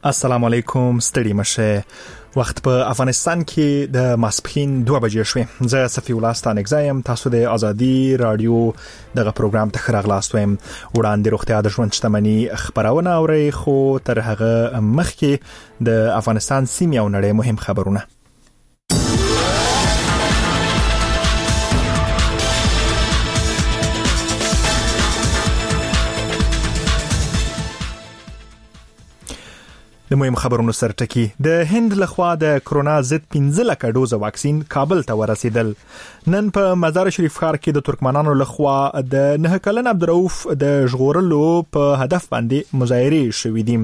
السلام علیکم، ستړي مشه. وخت په افغانستان کې د ماسپخین 2 بجې شوې. زه صفی الله ستانکزی یم، تاسو د ازادي راډیو دغه پروګرام ته ښه راغلاست وایم. وړاندې روغتیا د ژوند شتمني خپرونه اورئ، خو تر هغه مخکې د افغانستان، سیمې او نړۍ مهم خبرونه. د مهم خبرونو سرټکی: د هند لخوا د کرونا ضد 15 لکه ډوزه واکسین کابل ته ورسېدل. نن په مزار شریف ښار کې د ترکمنانو لخوا د 9 کلن عبدالرؤف د ژغورلو په هدف باندې مظاهرې شوې دي.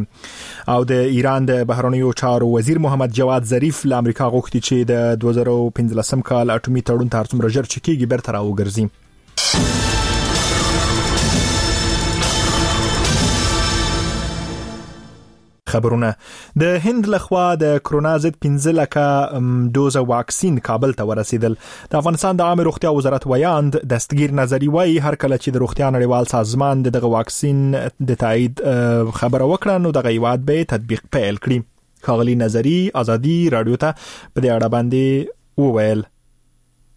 او د ایران د بهرنیو چارو وزیر محمد جواد ظریف له امریکا غوښتي چې د 2015 کال اټومي تړون ته هر څومره ژر چې کیږي بیرته راوګرځي. خبرونه: د هند لخوا د کرونا ضد 15 لکه ډوزه واکسین کابل ته ورسېدل. د افغانستان د عامې روغتیا وزارت ویاند دستګیر نظری وایي، هر کله چې د روغتیا نړیوال سازمان د دغه واکسین د تایید خبره وکړه، نو دغه هیواد به تطبیق پیل کړي. ښاغلي نظری ازادي راډیو ته په دې اړه باندې وویل: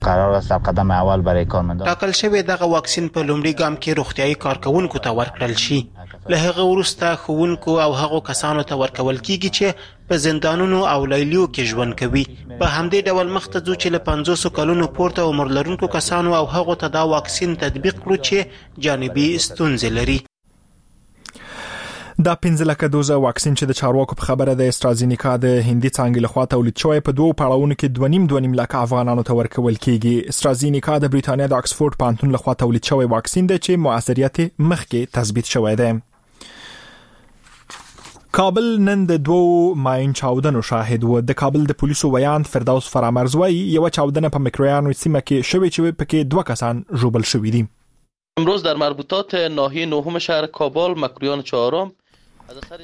قرار است در قدم اول برای کارمندان ټاکل شوې دغه واکسین په لومړي ګام کې روغتیايي کارکوونکو ته ورکړل شي. له هغه وروسته ښوونکو او هغو کسانو ته ورکول کیږي چې په زندانونو او لیلیو کې ژوند کوي. په همدې ډول مخته ځو چې له 50 کلونو پورته عمر لرونکو کسانو او هغو ته دا واکسین تطبیق کړو چې جانبي ستونزې لري. دا 15 لکه دوزه واکسین چې د چارواکو په خبره د استرازینیکا د هندي څانګې لخوا تولید شوی، په دوو پړاوونو کې 2.5 2.5 لکه افغانانو ته ورکول کیږي. استرازینیکا د بریتانیا د اکسفورډ پوهنتون لخوا تولید شوی واکسین دی چې موثریت مخکې تثبیت شوی دی. کابل نن د دوو ماین چاودنو شاهد و. د کابل د پولیسو ویاند فردوس فرامرز وایي، یوه چاودنه په مکرویانو سیمه کې شوې چې پکې دوه کسان ژوبل شوي دي. امروز در مربوطات ناحیه نهم شهر کابل، مکرویان چهارم،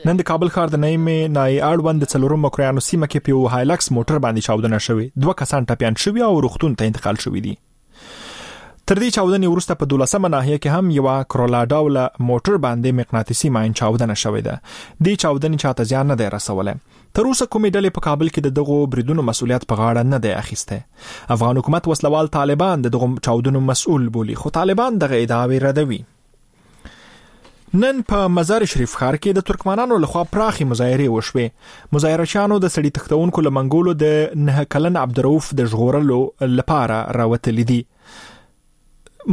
نن د کابل ښار د نهمې ناحیې اړوند د څلورم مکرویانو سیمه کې په یو هایلکس موټر باندې چاودنه شوې، دوه کسان ټپیان شوي او روغتون ته انتقال شوي دي. تر دې چاودنې وروسته په 12مه ناحیه کې هم یوه کرولا ډوله موټر باندې مقناطیسي ماین چاودنه شوې ده. دې چاودنې چاته زیان نه دی رسولی. تر اوسه کومې ډلې په کابل کې د دغو بریدونو مسؤلیت په غاړه نه دی اخیستی. افغان حکومت وسلوال طالبان د دغو چاودنو مسؤل بولي، خو طالبان دغه ادعاوې ردوي. نن په مزار شریف ښار کې د ترکمنانو لخوا پراخې مظاهرې وشوې. مظاهره چیانو د سړي تښتونکو له منګولو د 9 کلن عبدالرؤف د ژغورلو لپاره راوتلي دي.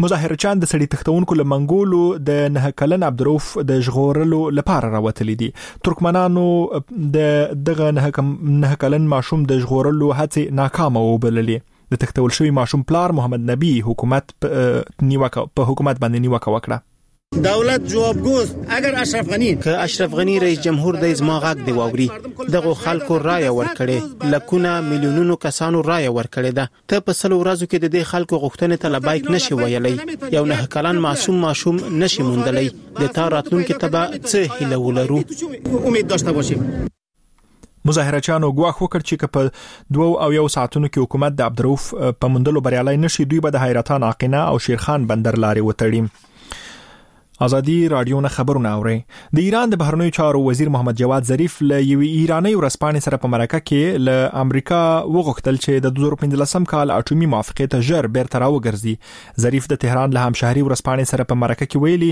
مظاهره چیان د سړي تښتونکو له منګولو د 9 کلن عبدالرؤف د ژغورلو لپاره راوتلي دي. ترکمنانو د دغه 9 کلن ماشوم د ژغورلو هڅې ناکامه وبللې. د تښتول شوی ماشوم پلار محمد نبی حکومت نیوکه په حکومت باندې نیوکه وکړه. دولت جوابگوست اگر اشرف غنی که اشرف غنی رئیس جمهور دی، زما غږ دی واوري. دغو خلکو رایه ورکړې، لکونه میلیونونو کسانو رایه ورکړې ده. ته په 100 ورځو کې د دې خلکو غوښتنې ته لبیک نشي ویلی، یو 9 کلن معصوم ماشوم نشي موندلی، د تا راتلونکي ته به څه هیله ولرو؟ امید داشته باشیم. مظاهره چیانو ګواښ وکړ چې که په 72 ساعتونو کې حکومت د عبدالرؤف په موندلو بریالی نشي، دوی به د حیرتان، آقینه او شیرخان بندر لارې وتړي. ازادي راډیو نه خبرونه اوري. د ایران د بهرنیو چارو وزیر محمد جواد ظریف له یوې ایرانۍ ورځپاڼې سره په مرکه کې له امریکا وغوښتل چې د 2015 کال اټومي موافقې ته ژر بیرته راوګرځي. ظریف د تهران له همشهري ورځپاڼې سره په مرکه کې ویلي،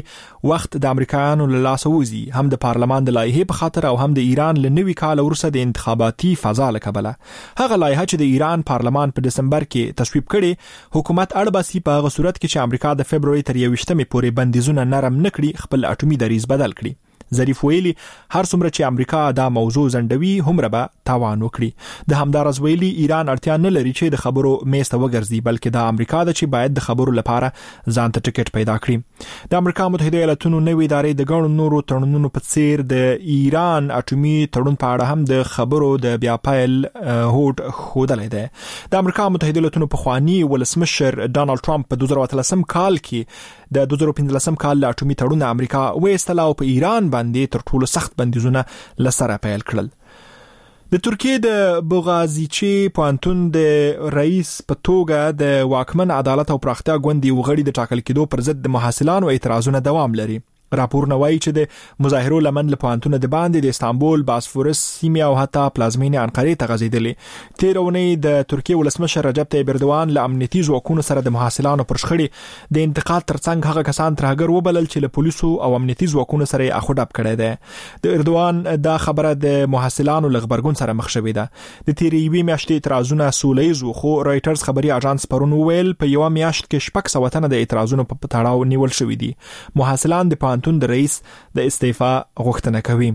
وخت د امریکایانو له لاسه وځي، هم د پارلمان د لایحې په خاطر او هم د ایران له نوي کال وروسته د انتخاباتي فضا له کبله. هغه لایحه چې د ایران پارلمان په دسمبر کې تصویب کړې، حکومت اړ باسي په هغه صورت کې چې امریکا د فبروري تر 21مې پورې بندیزونه نرم نه کړي، خپل اټومي دریځ بدل کړي. ظریف ویلي، هر څومره چې امریکا دا موضوع ځنډوي، هومره به تاوان وکړي. د همداراز ویلي، ایران اړتیا نه لري چې د خبرو میز ته وګرځي، بلکې دا امریکا ده چې باید د خبرو لپاره ځان ته ټیکټ پیدا کړي. د امریکا متحده ایالاتونو نوې ادارې د ګڼو نورو تړونونو په څیر د ایران اټومي تړون په اړه هم د خبرو د بیا پیل هوډ ښودلی دی. د امریکا متحده ایالاتونو پخوانی ولسمشر ډونالد ټرمپ په 2013 کال کې د 2015 کال له اټومي تړون امریکا وایستله او په ایران باندې تر ټولو سخت بندیزونه له سره پیل کړل. د ترکیې د بوغازیچي پوهنتون د رئیس په توګه د واکمن عدالت او پراختیا ګوند یو غړي د ټاکل کېدو پر ضد د محصلانو اعتراضونه دوام لري. راپورونه وايي چې د مظاهرو لمن له پوهنتونه د باندې د استانبول، باسفورس سیمې او حتی پلازمینې انقرې ته غځېدلې. تېره اونۍ د ترکیې ولسمشر رجب طیب اردوان له امنیتي ځواکونو سره د محصلانو پر شخړې د انتقاد ترڅنګ هغه کسان ترهګر وبلل چې له پولیسو او امنیتي ځواکونو سره یې اخو ډب کړی دی. د اردوان دا خبره د محصلانو له غبرګون سره مخ شوې ده. د تېرې یوې میاشتې اعتراضونه سوله ییز وو، خو رویټرز خبري اژانس پرون وویل، په یوه میاشت کې 600 تنه د اعتراضونو په تړاو نیول شوي دي. محصلان د پوهنتون د رئیس د استعفا غوښتنه کوي.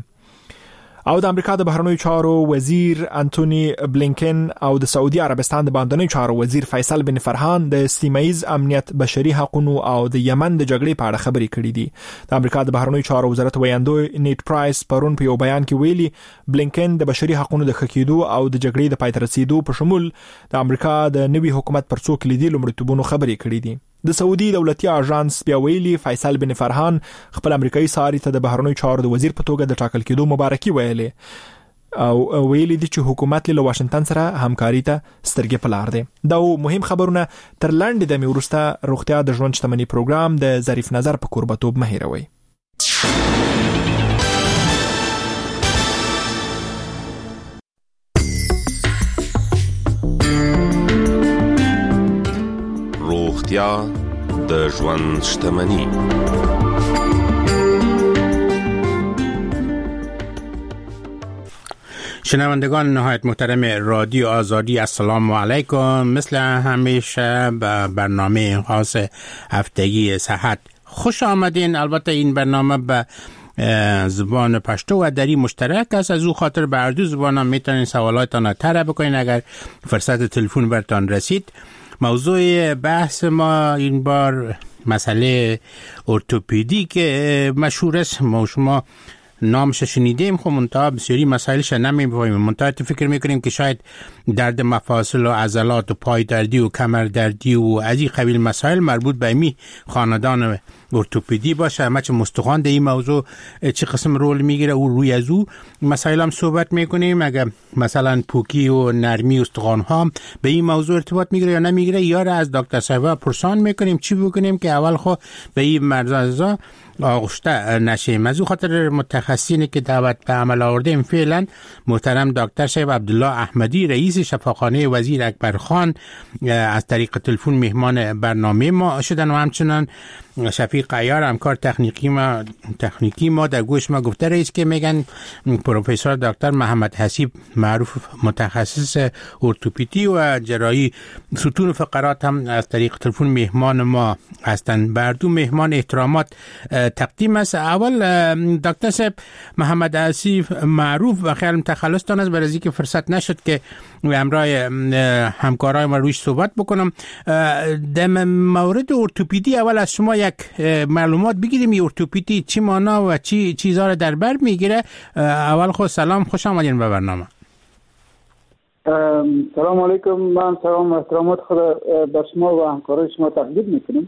او د امریکا د بهرنیو چارو وزیر انټونی بلینکن او د سعودي عربستان د باندنیو چارو وزیر فیصل بن فرهان د سیمه ییز امنیت، بشري حقونو او د یمن د جګړې په اړه خبرې کړې دي. د امریکا د بهرنیو چارو وزارت ویاندوی نیټ پرایس پرون په یو بیان کې ویلي، بلینکن د بشري حقونو د ښه کېدو او د جګړې د پای ته رسېدو په شمول د امریکا د نوي حکومت پر څو کلیدي لومړیتوبونو خبرې کړې دي. د سعودي دولتي آژانس بیا ویلي، فیصل بن فرهان خپل امریکایي ساري ته د بهرنیو چارو د وزیر په توګه د ټاکل کېدو مبارکي ویلې او ویلي دي چې حکومت له واشنګټن سره همکاري ته سترګې په لار دی. دا مهم خبرونه تر لنډې دمې وروسته روغتیا د ژوند شتمني پروګرام د ظریف نظر په کوربتوب مه هېروئ. روغتیا د ژوند شتمني. شنوندگان نهایت محترم رادیو آزادی، السلام علیکم. مثل همیشه به برنامه خاص هفتگی صحت خوش آمدین. البته این برنامه به زبان پشتو و دری مشترک است، از او خاطر به هر دو زبان هم میتونین سوالاتان را طرح بکنین اگر فرصت تلفن برتان رسید. موضوع بحث ما این بار مسئله ارتوپدی که مشهور است، ما شما نامش شنیدیم، خب منتها بسیاری مسائلش نمی‌فهمیم. منتها فکر میکنیم که شاید درد مفاصل و عضلات و پای دردی و کمر دردی و از این قبیل مسائل مربوط به می خاندان ارتوپدی باشه. اما چه مستخوان در این موضوع چه قسم رول میگیره و روی از او مسائل هم صحبت میکنیم. اگر مثلا پوکی و نرمی استخوان ها به این موضوع ارتباط میگیره یا نمیگیره، یا از دکتر صاحب پرسان میکنیم چی بکنیم که اول خو به این مرض آغشته نشیم. از او خاطر متخصصینی که دعوت به عمل آوردیم فعلا محترم دکتر صاحب عبدالله احمدی رئیس شفاخانه وزیر اکبر خان از طریق تلفن مهمان برنامه ما شدن و همچنان شفیق عیار همکار تکنیکی ما در گوش ما گفته رئیس که میگن پروفسور دکتر محمد حسیب معروف متخصص ارتوپدی و جراحی ستون فقرات هم از طریق تلفن مهمان ما هستند. بر دو مهمان احترامات تقدیم است. اول دکتر صاحب محمد حسیب معروف و خیالم تخلصتان است، برای اینکه فرصت نشد که همراه همکارای ما رویش صحبت بکنم. در مورد ارتوپدی اول از شما یک معلومات بگیریم. ارتوپدی چی معنا و چی چیزا رو در بر میگیره؟ اول خود سلام، خوش آمدین به برنامه. سلام علیکم. من سلام و احترامات خود به شما و همکارای شما تقدیم میکنم.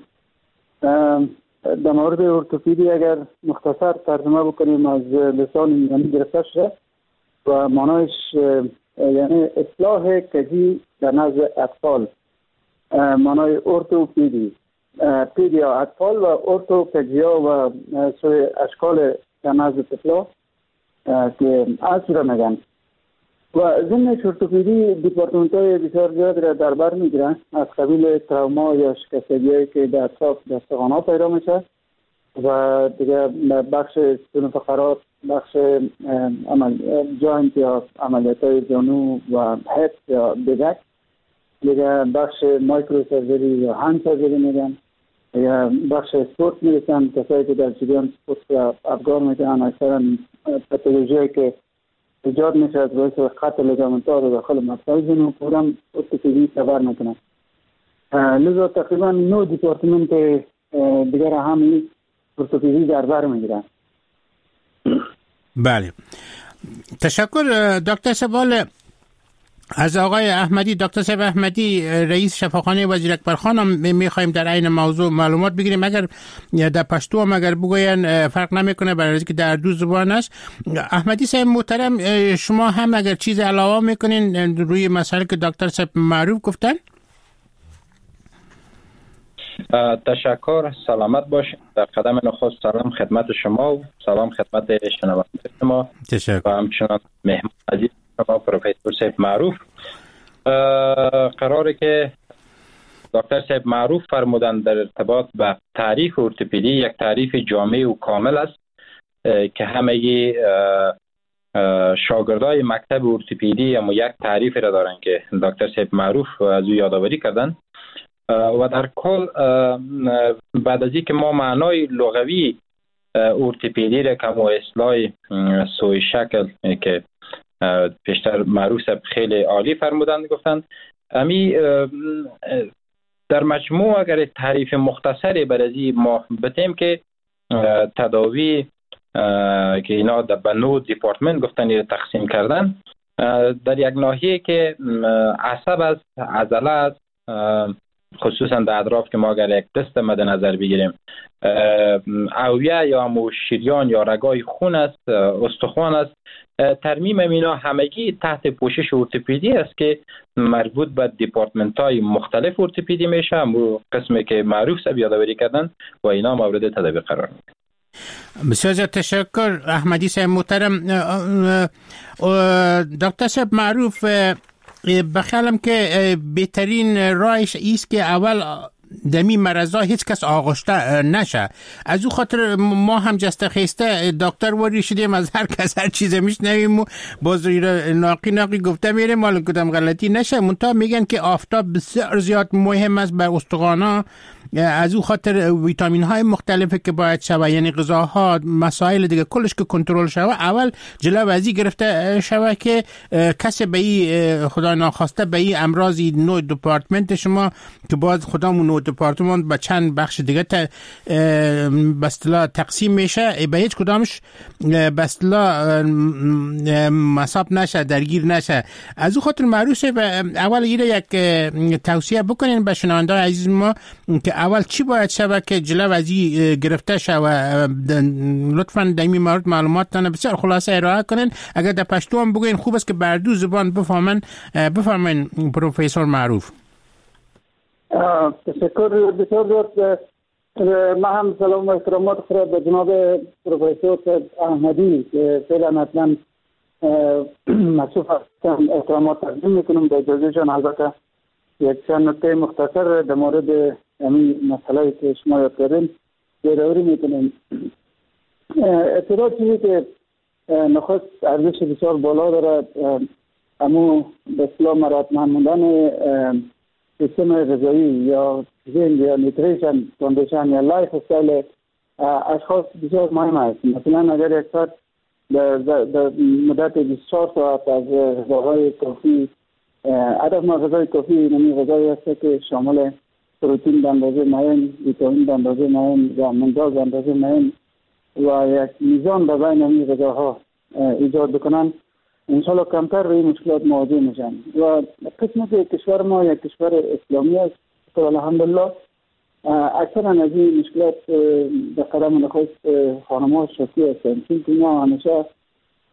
در مورد ارتوپدی اگر مختصر ترجمه بکنیم از لسان یونانی گرفته شده و معنایش یعنی اصلاح کجی در نزد اطفال. معنای ارتوپدی پدیا اطفال و ارتو کجیا و سوی اشکال در نزد طفلا که اصل را میگن. و ضمن ارتوپدی دیپارتمنت های بسیار زیاد را در بر میگیرن، از قبیل تراما یا شکستگی هایی که در اطراف دستخوان ها پیدا میشه و دیگه بخش ستون فقرات، بخش joint یا عملیات های زانو و hip یا بزک، دیگه بخش microsurgery یا hand surgery میگن، دیگه بخش سپورت میرسن، کسایی که در جریان سپورت را افگار میکنن، اکثرا پاتولوژی هایی که ایجاد میشه از باعث قطع ligament ها رو داخل مفصل زانو پورم ارتوپدی تبر میکنن. لذا تقریبا 9 دیپارتمنت دیگر هم ارتوپدی در بر میگیرن. بله، تشکر دکتر سوال از آقای احمدی. دکتر صاحب احمدی رئیس شفاخانه وزیر اکبر خان هم میخوایم در عین موضوع معلومات بگیریم. اگر در پشتو هم اگر بگوین فرق نمیکنه، برای اینکه در دو زبان است. احمدی صاحب محترم، شما هم اگر چیز علاوه میکنین روی مسئله که دکتر صاحب معروف گفتن؟ تشکر، سلامت باشید. در قدم نخست سلام خدمت شما و سلام خدمت شنونده شما. تشکر. و همچنان مهمان عزیز شما پروفسور صاحب معروف. قراره که دکتر صاحب معروف فرمودند در ارتباط به تعریف ارتوپدی، یک تعریف جامع و کامل است که همگی شاگردای مکتب ارتوپدی اما یک تعریف را دارن که دکتر صاحب معروف از او یادآوری کردن. و در کل بعد از اینکه ما معنای لغوی ارتوپدی را که اصلاح سوی شکل که پیشتر معروف صاحب خیلی عالی فرمودند گفتند، امی در مجموع اگر تعریف مختصری بر از ما بتیم که تداوی که اینا در بنو دیپارتمنت گفتن تقسیم کردن در یک ناحیه که عصب است، عضله است، خصوصا در اطراف که ما اگر یک دست مد نظر بگیریم اویه یا شریان یا رگای خون است، استخوان است، ترمیم اینا همگی تحت پوشش ارتوپدی است که مربوط به دیپارتمنت های مختلف ارتوپدی میشه، قسمی که معروف سب یادآوری کردن و اینا مورد تداوی قرار میگیرن. بسیار زیاد تشکر احمدی صاحب محترم. دکتر صاحب معروف، بخیالم که بهترین راهش ایست که اول دمی مرضا هیچ کس آغشته نشه. از او خاطر ما هم جسته خیسته دکتر واری شدیم، از هر کس هر چیز میشنویم و باز ناقی ناقی گفته میریم مال کدام غلطی نشه. منتها میگن که آفتاب بسیار زیاد مهم است بر استخوانا، از او خاطر ویتامین های مختلفی که باید شوه، یعنی غذاها، مسائل دیگه کلش که کنترل شوه، اول جلو ازی گرفته شوه که کسی به ای خدا ناخواسته به ای امراض نوع دپارتمنت شما که باز خدامون نوع دپارتمان به چند بخش دیگه به اصطلاح تقسیم میشه، به هیچ کدامش به اصطلاح مصاب نشه، درگیر نشه. از او خاطر معروفه اول ایره یک توصیه بکنین به شنونده عزیز ما که اول چی باید شوه که جلو از این گرفته شوه. لطفاً در این مورد معلومات بسیار خلاصه ارائه کنین. اگر در پشتو هم بگوین خوب است که بر دو زبان بفهمن. پروفسور معروف. تشکر بسیار زیاد. من هم سلام و احترامات خود به جناب پروفسور احمدی که فعلا حتما مصروف هستم احترامات تقدیم میکنم. با اجازه جان البته یک چند نکته مختصر در مورد همین مسئله که شما یاد کردین یادآوری میکنیم. ابتدا چیزی که نخست ارزش بسیار بالا داره امو به اصطلاح مراتب ماندن سیستم غذایی یا ژن یا nutrition condition یا lifestyle اشخاص بسیار مهم است. مثلا اگر یک فرد در مدت 24 ساعت از غذاهای کافی، هدف ما غذای کافی یعنی غذایی است که شامل پروتئین به اندازه معین، ویتامین به اندازه معین و منزال به اندازه معین و یک میزان به بین این غذاها ایجاد بکنن، انشالله کمتر به این مشکلات مواجه میشن. و قسمت کشور ما یک کشور اسلامی است که الحمدلله اکثرا از این مشکلات به قدم نخست خانم‌ها شاکی هستند، چون که ما همیشه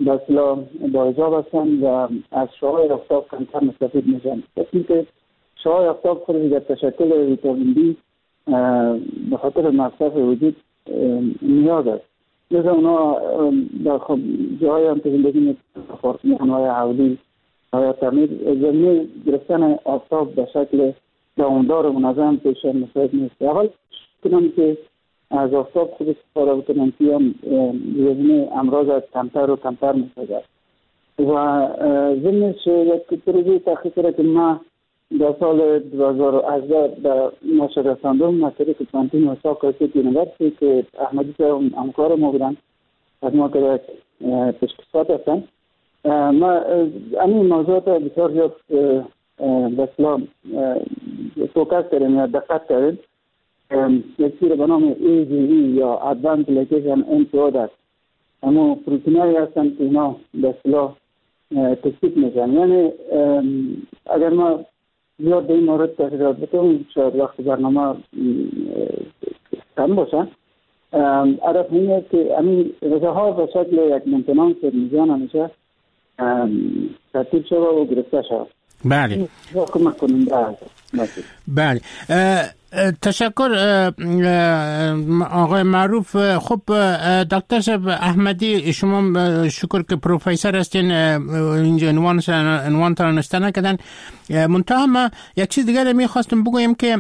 به اصطلاح با حجاب هستند و از شعاع آفتاب کمتر مستفید میشن. قسمی که شعاع آفتاب خودش در تشکل ویتامین دی به خاطر مصرف وجود نیاز است. لذا اونا در جاهایی هم که زندگی میکنن، آپارتمان‌های حولی یا تعمیر، زمینه گرفتن آفتاب به شکل دوامدار و منظم پیش مساعد نیست. اول کنم که از آفتاب خود استفاده بکنن که هم زمینه امراض کمتر و کمتر میسازد. و ضمنش یک پروژه تحقیقی را که ما در سال 2018 در نشر رساندم از طریق پوهنتون اوساکا State University که احمدی صاحب همکار ما بودن، از ما که یک پیشکسوت هستن، ما همین موضوعات بسیار زیاد به اصطلاح focus کردیم یا دقت کردیم. یک چیز به نام AGE یا Advanced Glycation End Product، اما پروتئین‌هایی هستند که اینا به اصطلاح تثبیت میشن. یعنی اگر ما زیاد به این مورد تحقیقات بکنیم شاید وقت برنامه کم باشه. هدف این است که همین غذاها به شکل یک maintenance میزان همیشه ترتیب شود و گرفته شود. بله. کمک کننده. بله. تشکر آقای معروف. خب دکتر صاحب احمدی، شما شکر که پروفسور هستین، اینجا عنوان تان نوشته نکردن. منتها ما یک چیز دیگر میخواستم بگویم که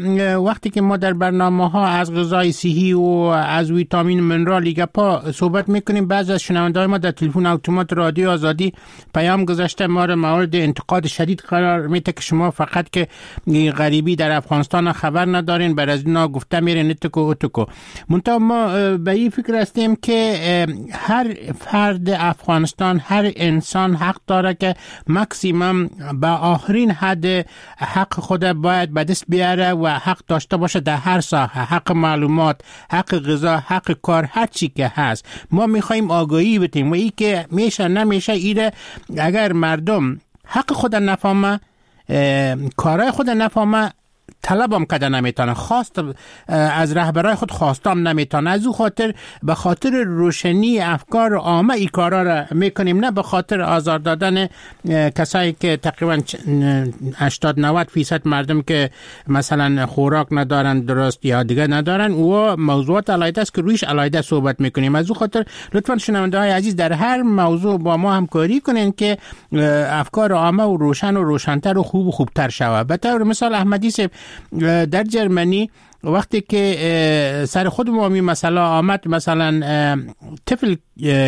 وقتی که ما در برنامه ها از غذای صحی و از ویتامین منرال گپا صحبت میکنیم، بعض از شنونده‌های ما در تلفن اتومات رادیو آزادی پیام گذاشته ما را مورد انتقاد شدید قرار میده که شما فقط که غریبی در افغانستان خبر ندارین، بر از اینا گفته میرین اتکو اتکو. منتها ما به این فکر هستیم که هر فرد افغانستان، هر انسان حق داره که ماکسیمم به آخرین حد حق خود باید به دست بیاره و حق داشته باشه در هر ساحه، حق معلومات، حق غذا، حق کار، هر چی که هست. ما میخوایم آگاهی بدیم و ای که میشه نمیشه ایره اگر مردم حق خود نفهمه، کارای خود نفهمه، طلبم کده نمیتونه، خواست از رهبرای خود خواستم نمیتونه. از او خاطر به خاطر روشنی افکار عامه ای کارا را میکنیم، نه به خاطر آزار دادن کسایی که تقریبا 80-90% مردم که مثلا خوراک ندارن درست یا دیگه ندارن، و موضوعات علیحده است که رویش علیحده صحبت میکنیم. از او خاطر لطفا شنونده های عزیز در هر موضوع با ما همکاری کنین که افکار عامه و روشن و روشنتر و خوب و خوبتر شود. به طور مثال احمدی صاحب در جرمنی وقتی که سر خود ما می مثلا آمد، مثلا طفل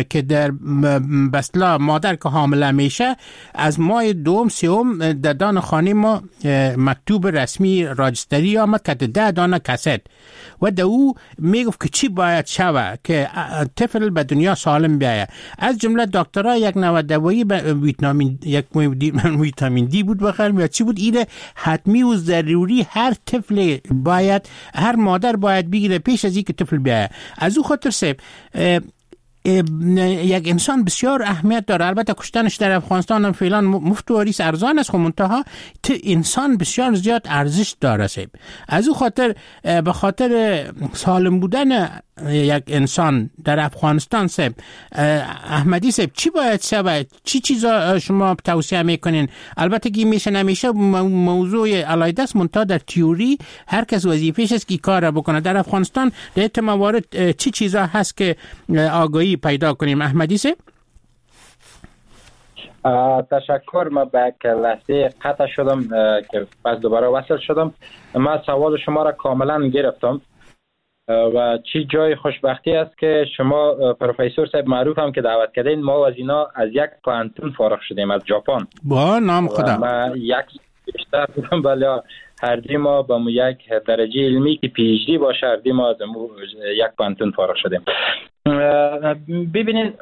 که در بسلا مادر که حامله میشه، از ماه دوم سوم در دان خانه ما مکتوب رسمی راجستری آمد که 10 دانه کست و در او میگفت که چی باید شوه که طفل به دنیا سالم بیایه. از جمله دکترها یک نوع دوایی ویتامین، یک ویتامین دی بود بخیر یا چی بود، ایده حتمی و ضروری هر طفل باید، هر مادر باید بگیره پیش از اینکه طفل بیایه. از او خاطر سب یک انسان بسیار اهمیت داره. البته کشتنش در افغانستان هم فعلا مفت و ریس ارزان است، خب منتها انسان بسیار زیاد ارزش داره سب. از او خاطر به خاطر سالم بودن یک انسان در افغانستان سب احمدی سب چی باید شود؟ چی چیزا شما توصیه میکنین؟ البته که میشه نمیشه موضوع علیحده است، منتها در تئوری هر کس وظیفه‌ش است که کار بکنه. در افغانستان در این موارد چی چیزا هست که آگاهی پیدا کنیم احمدی سب؟ تشکر. ما به یک لحظه قطع شدم که پس دوباره وصل شدم. من سوال شما را کاملا گرفتم و چی جای خوشبختی است که شما پروفسور صاحب معروف هم که دعوت کردین، ما از اینا از یک پوهنتون فارغ شدیم از ژاپن. با نام خدا. ما یک بیشتر بودم، ولی هر دی ما با یک درجه علمی که PhD باشه، هر دی ما از یک پوهنتون فارغ شدیم. ببینین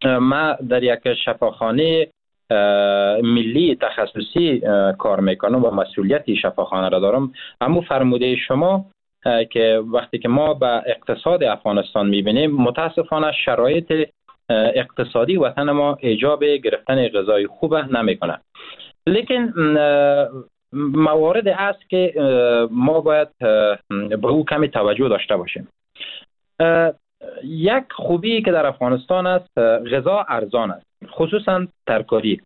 ما در یک شفاخانه ملی تخصصی کار میکنم و مسئولیت شفاخانه را دارم. اما فرموده شما که وقتی که ما به اقتصاد افغانستان میبینیم، متاسفانه شرایط اقتصادی وطن ما ایجاب گرفتن غذای خوب نمیکنه. لیکن موارد است که ما باید به او کمی توجه داشته باشیم. یک خوبی که در افغانستان است، غذا ارزان است، خصوصا ترکاری.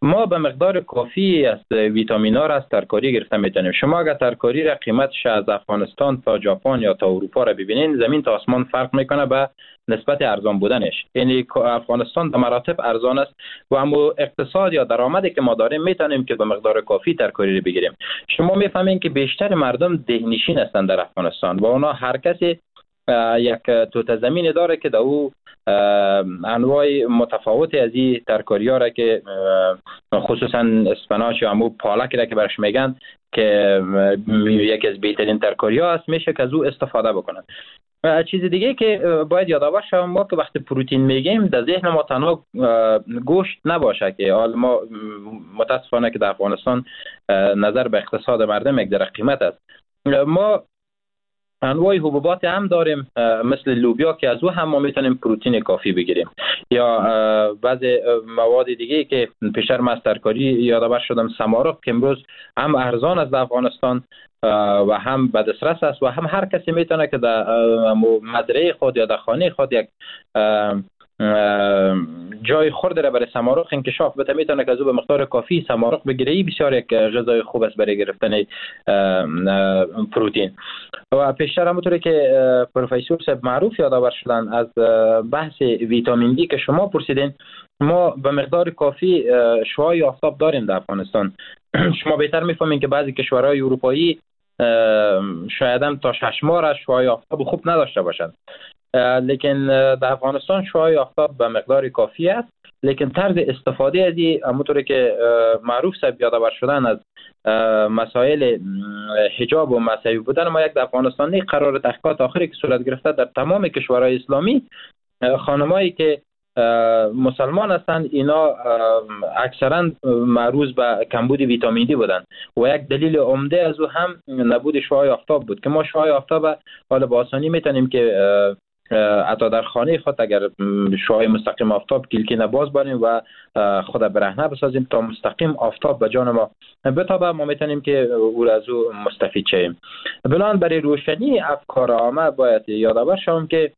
ما به مقدار کافی از ویتامین ها را از ترکاری گرفته میتونیم. شما اگر ترکاری را قیمتش از افغانستان تا ژاپن یا تا اروپا را ببینین، زمین تا آسمان فرق میکنه به نسبت ارزان بودنش. یعنی افغانستان به مراتب ارزان است و اما اقتصاد یا درآمدی که ما داریم میتونیم که به مقدار کافی ترکاری را بگیریم. شما میفهمین که بیشتر مردم دهنشین هستند در افغانستان و اونا هر کسی یک توته زمین داره که در او انواع متفاوتی از این ترکاری ها را که خصوصا اسپناچ یا امو پالک را که برش میگن که یکی از بهترین ترکاری ها است، میشه که از او استفاده بکنن. و چیز دیگه که باید یادآور شوم، ما که وقتی پروتئین میگیم در ذهن ما تنها گوشت نباشه که حال ما متاسفانه که در افغانستان نظر به اقتصاد مردم یک در قیمت است. ما انواع حبوبات هم داریم مثل لوبیا که از او هم ما میتونیم پروتئین کافی بگیریم، یا بعض مواد دیگه که پیشتر من از ترکاری یادآور شدم، سمارق که امروز هم ارزان است در افغانستان و هم به دسترس است و هم هر کسی میتونه که در مزرعه خود یا در خانه خود یک جای خورد را برای سمارق انکشاف بده، میتونه که از او به مقدار کافی سمارق بگیره. این بسیار یک غذای خوب است برای گرفتن پروتئین. و پیشتر همونطوری که پروفسور صاحب معروف یادآور شدن از بحث ویتامین دی که شما پرسیدین، ما به مقدار کافی شعاع آفتاب داریم در افغانستان. شما بهتر میفهمین که بعضی کشورهای اروپایی شاید هم تا 6 ماه شعاع آفتاب خوب نداشته باشند، لیکن در افغانستان شعاع آفتاب به مقدار کافی است. لیکن طرز استفاده از این همونطوری که معروف صاحب یادآور شدن از مسائل حجاب و مذهبی بودن ما یک در افغانستان قرار تحقیقات آخری که صورت گرفته در تمام کشورهای اسلامی، خانمایی که مسلمان هستند اینا اکثرا معروض به کمبود ویتامین دی بودند و یک دلیل عمده از او هم نبود شعاع آفتاب بود که ما شعاع آفتاب حالا با آسانی میتونیم که حتی در خانه خود اگر شعاع مستقیم آفتاب کلکینه باز باریم و خود برهنه بسازیم تا مستقیم آفتاب به جان ما بتابه، ما میتونیم که او را از او مستفید شویم. بلان برای روشنی افکار عامه باید یادآور شوم که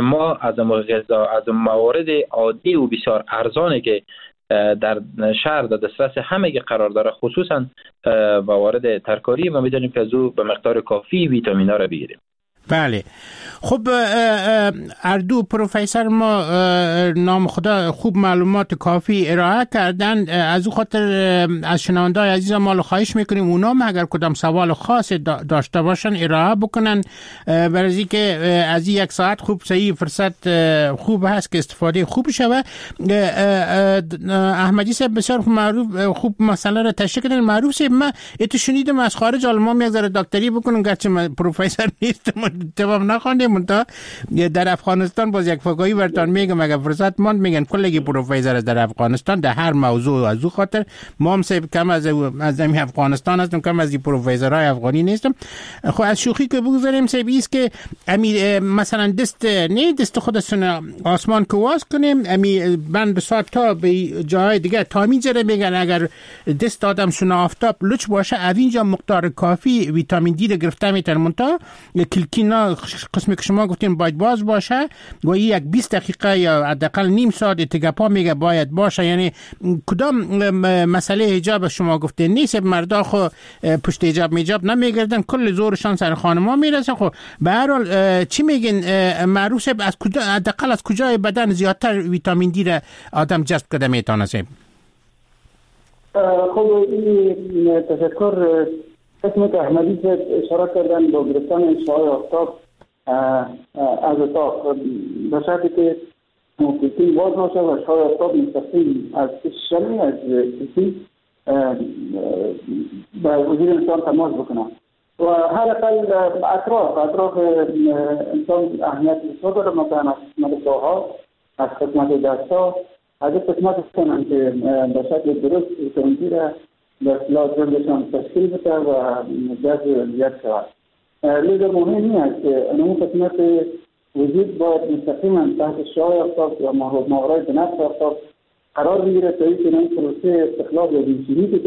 ما از غذا از موارد عادی و بسیار ارزانی که در شهر در دسترس همگی قرار داره، خصوصا موارد ترکاری، ما میتونیم که از او به مقدار کافی ویتامین ها را بگیریم. بله خب اردو پروفسور ما نام خدا خوب معلومات کافی ارائه کردن. از او خاطر از شنونده‌های عزیز ما خواهش میکنیم اونا هم اگر کدام سوال خاص داشته باشن ارائه بکنن، برای اینکه از یک ساعت خوب صحیح فرصت خوب هست که استفاده خوب شوه. احمدی صاحب بسیار معروف خوب مسئله را تشریح کردن. معروف صاحب من اتو شنیدم از خارج آلمان یک ذره دکتری بکنم، گرچه من پروفسور نیستم، تمام نخوانده، منتها در افغانستان باز یک فقاهی براتون میگم اگر فرصت ماند، میگن کلگی پروفسور است در افغانستان در هر موضوع. از او خاطر ما هم صاحب کم از افغانستان هستم، کم از پروفسورهای افغانی نیستم. خب از شوخی که بگذاریم صاحب ایست که امی مثلا دست نه دست خودتون آسمان که واز کنیم، امی بند بساط تا به جای دیگه تا میجره میگن اگر دست آدم سون آفتاب لچ باشه از اینجا مقدار کافی ویتامین دی رو گرفته میتونه. منتها کلکینا قسمی که شما گفتین باید باز باشه و یک 20 دقیقه یا حداقل نیم ساعت اتگپا میگه باید باشه. یعنی کدام مسئله حجاب شما گفتین نیست، مردا خو پشت حجاب میجاب نمیگردن، کل زورشان سر خانما میرسه. خب به هر حال چی میگین معروف از کجا حداقل از کجای بدن زیادتر ویتامین دی را آدم جذب کرده میتونه؟ خب این تشکر قسمت احمدی اشاره کردن با گرفتن شعاع آفتاب از اتاق به شرطی که کلکین باز باشه و شعاع آفتاب مستقیم از شمی از کلکین به وجود انسان تماس بکنه و هر اقل اطراف انسان اهمیت بسیار داره. مثلا از قسمت پاها، از قسمت دستها، از قسمت کنن که به شکل درست ویتامین دی را به اصطلاح جلدشان تشکیل بده و جذب زیاد شود. لذا مهم این است که اون قسمت وجود باید مستقیما تحت شعاع آفتاب یا ماورای بنفش آفتاب قرار بگیره تا اینکه این پروسه استخلاص یا ویتامین که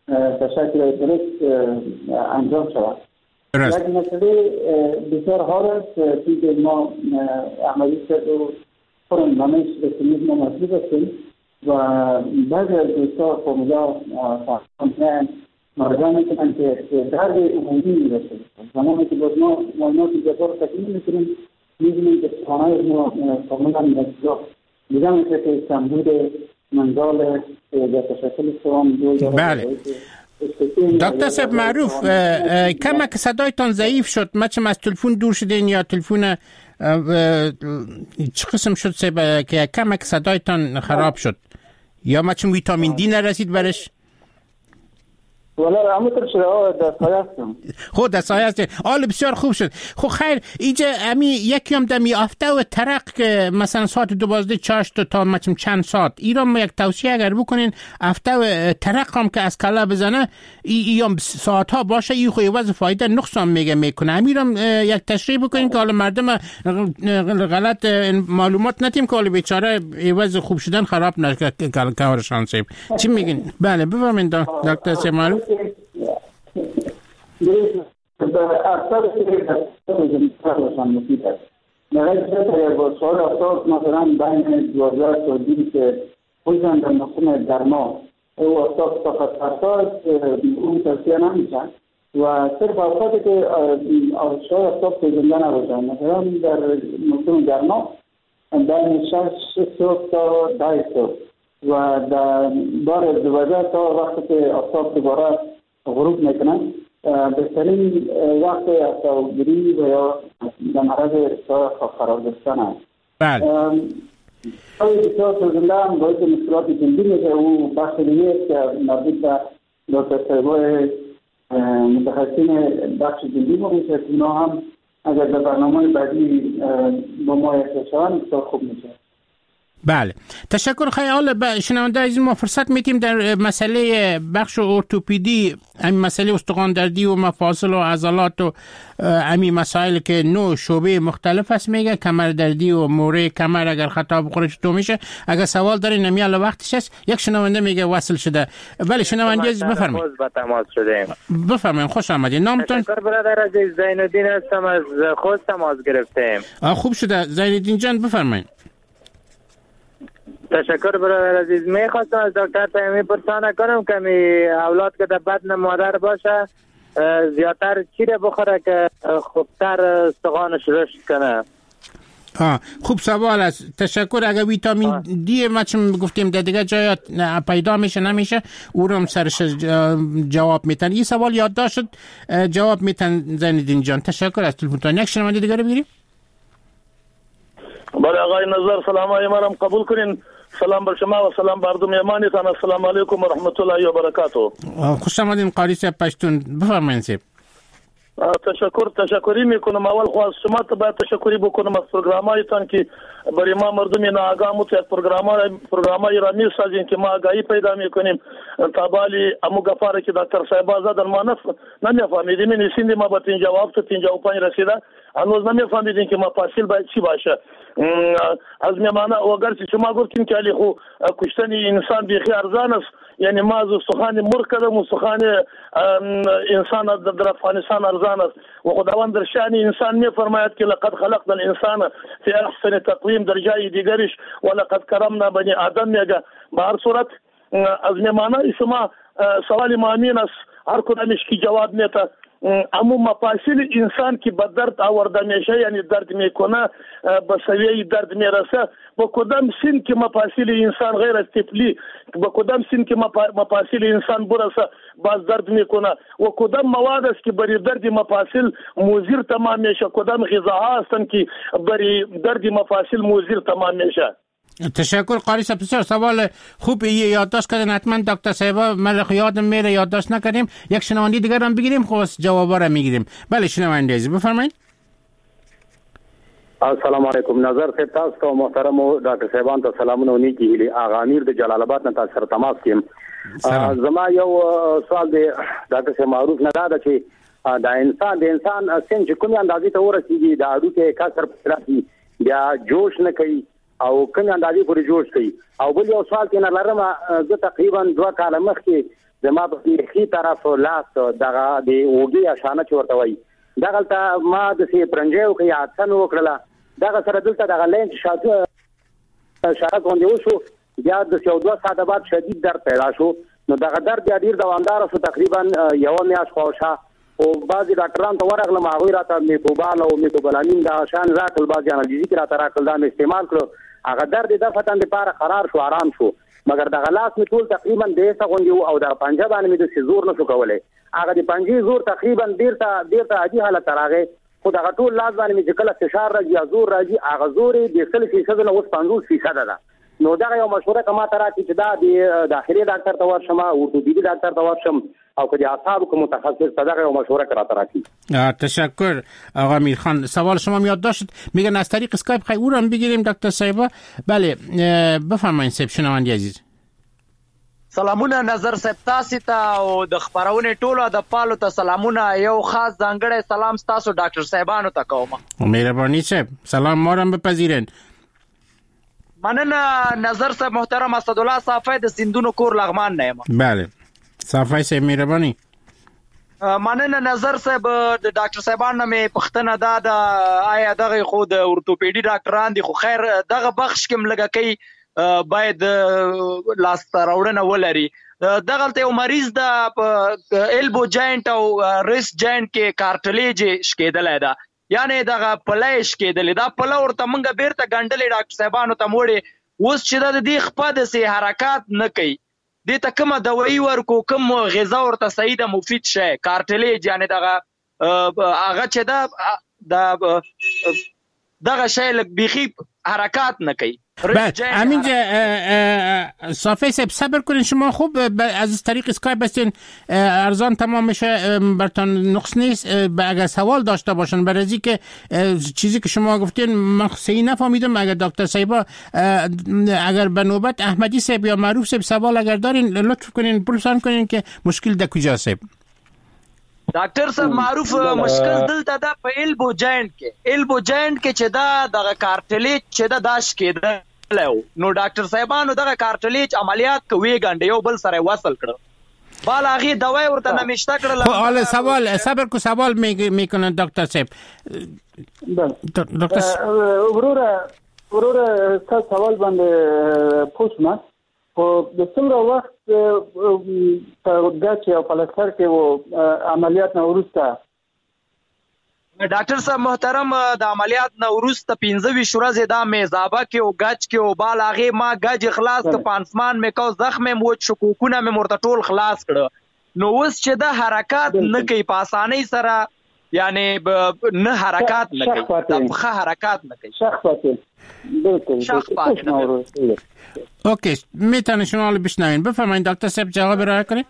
به شکل درست انجام شود. یک مسئله بسیار حال است که ما احمدی صاحب و خودم همه رسمیت ما مطلوب هستیم و بعضی از دوستا فامیلا فهمیدن مراجعه میکنن که درد عمومی میرسه. زمانی که باز ما معاینات جبار تکمیل میکنیم میبینیم که خانه ما کاملا نزدیک دیده میشه که کمبود منزال در تشکل سوام دو. بله دکتر صاحب معروف کمک صدایتان ضعیف شد، ما چم از تلفن دور شدین یا تلفن چه قسم شد صاحب که کمک صدایتان خراب شد یا ما چون ویتامین دی نرسید برش؟ والا همونطور شده در سایه هستم. خب در سایه هستم. آل بسیار خوب شد. خب خیر اینجا امی یکی هم دمی آفته و ترق که مثلا ساعت 12 چاشت تا مثلا چند ساعت ایران ما یک توصیه اگر بکنین افته و ترق هم که از کله بزنه ای هم ساعت ها باشه ای خو وضع فایده نقصان میگه میکنه. امیرم یک تشریح بکنین که حالا مردم غلط معلومات نتیم که حالا بیچاره وضع خوب شدن خراب نشه کارشان صاحب. چی میگین؟ بله بفرمایید دکتر سیمالو. اکثر مفید است. در با شعاع آفتاب مثلا بین 12 تا 20 خصوصا در موسم گرما او آفتاب طاقت فرسا اون توصیه نمیشه و صرف اوقاتی که شعاع آفتاب سوزنده نباشه، مثلا در موسم گرما بین 6 صبح تا 10 صبح و در بار 12 تا وقتی که آفتاب دوباره غروب میکنه بهترین وقت آفتابگیری و یا در معرض شعاع قرار گرفتن است. بله. بسیار سوزنده هم باعث مشکلات جلدی میشه. او بخش دیگه است که مربوط به دکتر صاحبای متخصصین بخش جلدی ما میشه که اونا هم اگر در برنامه بعدی با ما یکجا شوند بسیار خوب میشه. بله، تشکر. خیلی حالا به شنونده عزیز ما فرصت میتیم در مسئله بخش ارتوپدی، همین مسئله استخوان دردی و مفاصل و عضلات و همین مسائل که 9 شعبه مختلف است، میگه کمر دردی و موره کمر اگر خطا بخوره چطور میشه. اگر سوال دارین نمی الان وقتش است. یک شنونده میگه وصل شده. بله شنونده عزیز بفرمایید. تماس شدیم. بفرمایید، خوش آمدید. نامتون؟ تشکر برادر عزیز، زین الدین هستم، از خوست تماس گرفتیم. خوب شده زین الدین جان، بفرمایید. تشکر برادر عزیز. میخواستم از دکتر پیامی پرسانه کنم که می اولاد که در بدن مادر باشه زیادتر چی را بخوره که خوبتر استخوانش رشد کنه؟ خوب سوال است، تشکر. اگر ویتامین دی ما چون گفتیم در دیگه جای پیدا میشه نمیشه، او رو هم سرش جواب میتن. این سوال یادداشت شد، جواب میتن زین الدین جان. تشکر از تلفنتان. یک شنونده دیگه رو بگیریم. بله آقای نظر، سلام های مرم قبول کنین. سلام بر شما و سلام بر مردم یمانتان. السلام علیکم و رحمت الله و برکاته. خوش آمدین قاری صاحب پشتون، بفرمایید صاحب. تشکری میکنم. اول خو از شما ته باید تشکری بکنم از پروگرامایتان که برای ما مردم ناآگاه مت یک پروگرامای را میسازین که ما آگاهی پیدا میکنیم. تا بالی امو گفاره که دکتر صاحب زدن ما نمیفهمیدیم، این سند ما به 57 تا 55 رسیده، هنوز نمیفهمیدیم که مفاصل باید چی باشه. از میمانه و اگر شما گفتین که علی خو کشتن انسان بیخی ارزان است، یعنی ما از استخوان مرغ کردم، استخوان انسان در افغانستان ارزان است و خداوند در شأن انسان میفرماید که لقد خلقنا الانسان فی احسن تقویم، در جای دیگرش ولقد کرمنا بنی آدم میگه. به هر صورت از میمانه شما سوال ما امین است، هر کدامش که جواب میته. اما مفاصل انسان که به درد آورده میشه، یعنی درد میکنه، به سویه درد میرسه، با کدام سن که مفاصل انسان غیر از طفلی، با کدام سن که مفاصل انسان برسه باز درد میکنه و کدام مواد است که برای درد مفاصل مضر تمام میشه، کدام غذاها هستند که برای درد مفاصل مضر تمام میشه. تشکر قاری صاحب، بسیار سوال خوب یادداشت کردن. حتما دکتر صاحب من یادم میره یادداشت نکردیم. یک شنونده دیگر هم بگیریم، خب جوابا را میگیریم. بله شنونده عزیز بفرمایید. السلام علیکم نظر صاحب، تاسو ته محترم ډاکټر صاحبان ته سلامونه او نیکې هیلې. اغا امیر د جلال آباد نه تاسو سره تماس کې یم. زما یو سوال دی ډاکټر صاحب معروف نه دا ده چې د انسان سن چې کومې اندازې ته ورسیږي د هډوکي کسر پیدا کړي، بیا جوش نه کوي او کومې اندازې پورې جوش کوي. او بل یو سوال کې نه لرم، زه تقریبا 2 کاله مخکې زما په ښي طرف لاس دغه د اوږې اشانه چې ورته وایي دغلته ما داسې پرنجی وکړه یا حادثه مې وکړله، دغه سره دلته دغه لین چې شاته غوندې وشو، بیا داسې یو 2 ساعته بعد شدید درد پیدا شو. نو دغه درد بیا ډېر دوامداره شو، تقریبا یوه میاشت خواوشا. او بعضې ډاکټران ته ورغلم، هغوی راته میکوبال او میکوبلامین دغه شیان راکړل، بعضې انالجیزیک راته راکړل، دا مې استعمال کړو. هغه درد یې دفعتاً دپاره قرار شو، آرام شو، مګر دغه لاس مې ټول تقریبا بېسه غوندې و او دغه پنجه باندې مې داسې زور نه شو کولی. هغه د پنجې زور تقریبا بیرته عادي حالت ته راغی، خو دغه ټول لاس باندې مې چې کله فشار راځي یا زور راځي هغه زور یې د 100% نه اوس 50% ده. نو دغه یو مشوره که ما ته راکړي چې دا د داخلي ډاکټر ته ورشم، ارتوپیدي ډاکټر ته ورشم، او که د اعصابو که متخصص ته، دغه یو مشوره که راته راکړي. تشکر آقا میرخان، سوال شما یادداشت میگن از طریق اسکایپ خیلی او رو هم بگیریم دکتر صاحبا. بله بفرمایید صاحب شنونده عزیز. سلامونه نظر صاحب تاسو ته او د خبرونې ټولو ادبپالو ته سلامونه. یو خاص ځانګړی سلام تاسو ډاکټر صاحبانو ته کوم. مهرباني صاحب، سلام ما را بپذیرین. مننه نظر صاحب محترم. اسدالله صافی د سندونو کور لغمان نه یم. بله صافی صاحب مهرباني. مننه نظر صاحب. د ډاکټر صاحبان نه مې پوښتنه دا ده، آیا دغه خو د اورتوپیډي ډاکټران دي، خو خیر دغه بخش کې هم لږکۍ باید لاسته راوړنه ولري. دغلته یو مریض ده په elbow joint او wrist joint کې cartilage شکېدلی ده، یعنې دغه پله یې شکېدلې، دا پله ورته مونږ بیرته ګنډلې ډاکټر صاحبانو ته موړې. اوس چې دا د دې خپه داسې حرکات نه کوي، دې ته کومه دوایي ورکو، کوم غذا ورته صحیح ده مفید شی، cartilage یعنې دغه هغه چې ده دغه شی لږ بیخي حرکات نه کوي. بله همینجا صافی صاحب صبر کنین، شما خوب از طریق اسکایپ هستین، ارزان تمام میشه، برتان نقص نیست. اگر سوال داشته باشن برای که چیزی که شما گفتین من صحیح نفهمیدم، اگر دکتر صاحب اگر به نوبت احمدی صاحب یا معروف صاحب سوال اگر دارین لطف کنین پرسان کنین که مشکل در کجا صاحب. ډاکټر صاحب معروف مشکل دلته ده په elbow joint کې، elbow joint کې چې دا دغه cartilage چې دا داش کېدلی و، نو ډاکټر صاحبانو دغه cartilage عملیات کوي ګنډه یو بل سره وصل کړ، بال هغې دوای ورته نمشته کړله. خب حالا سوال صبر کو، سوال میکنه دکتر صاحب. دکتر وروره ستاسو سوال باندې پوه شوم، خو د څومره وخت په ګچ او پلستر کې و عملیات نه وروسته؟ ډاکټر صاحب محترم د عملیات نه وروسته 25 ورځې دا میزابه کې او ګچ کې او بال هغې ما ګج خلاص کړ، پانسمان مې کو، زخم مې وچ شو، کوکونه مې ورته ټول خلاص کړه. نو اوس چې دا حرکات نه کوي په اسانۍ سره، یعنی نه حرکات نه کوي، دا پښه حرکات نه کوي، شخ پاتې بالکل شخ پاتې. okay میتونه شما رو بشنوین، بفرمایید دکتر صاحب جواب ارائه کنید.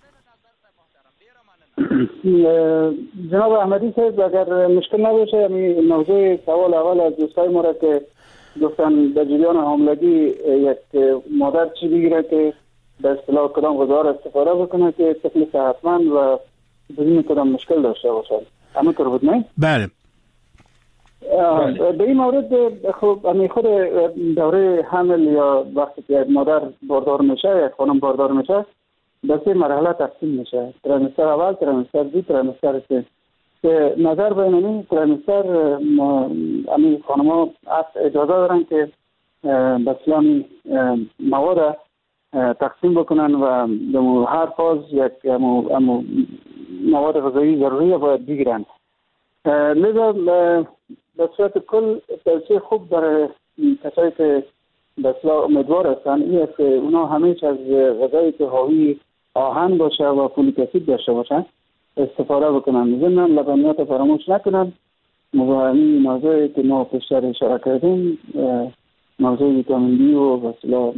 جناب احمدی صاحب اگر مشکل نباشه، یعنی موضوع سوال اول از دوستای ما را که گفتن در جریان حاملگی یک مادر چی بگیره که به اصطلاح کدام غذا را استفاده بکنه که طفل صحتمند و بدون کدام مشکل داشته باشد، همونطور بود نه؟ بله. به این مورد خب همین خود دوره حمل یا وقتی که یک مادر باردار میشه، یک خانم باردار میشه، به سه مرحله تقسیم میشه: trimester اول، trimester دو، trimester سه. که نظر به این trimester همین خانم‌ها اجازه دارن که به اصطلاح مواد تقسیم بکنن و هر فاز یک مواد غذایی ضروری باید بگیرن. لذا به صورت کل توصیه خوب برای کسایی که به اصطلاح امیدوار هستن این است که اونا همیشه از غذایی که حاوی آهن باشه و فولیک اسید داشته باشن استفاده بکنن. ضمن لبنیات فراموش نکنن و همین موضوعی که ما پیشتر اشاره کردیم، موضوع ویتامین دی و به اصطلاح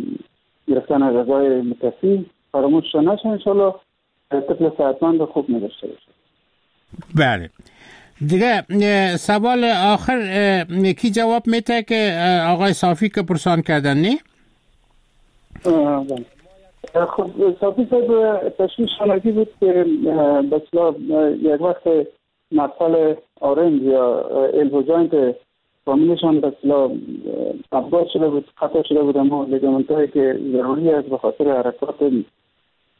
گرفتن غذای مکفی فراموش نشه، انشالله طفل صحتمند خوب نداشته باشه. بله دیگه سوال آخر کی جواب میده که آقای صافی که پرسان کردن نه؟ خب صافی صاحب تشویش شانگی بود که به اصطلاح یک وقت مفصل آرنج یا elbow joint فامیلشان به اصطلاح ابدال شده بود، خطا شده بود، اما ligament هایی که ضروری است به خاطر حرکات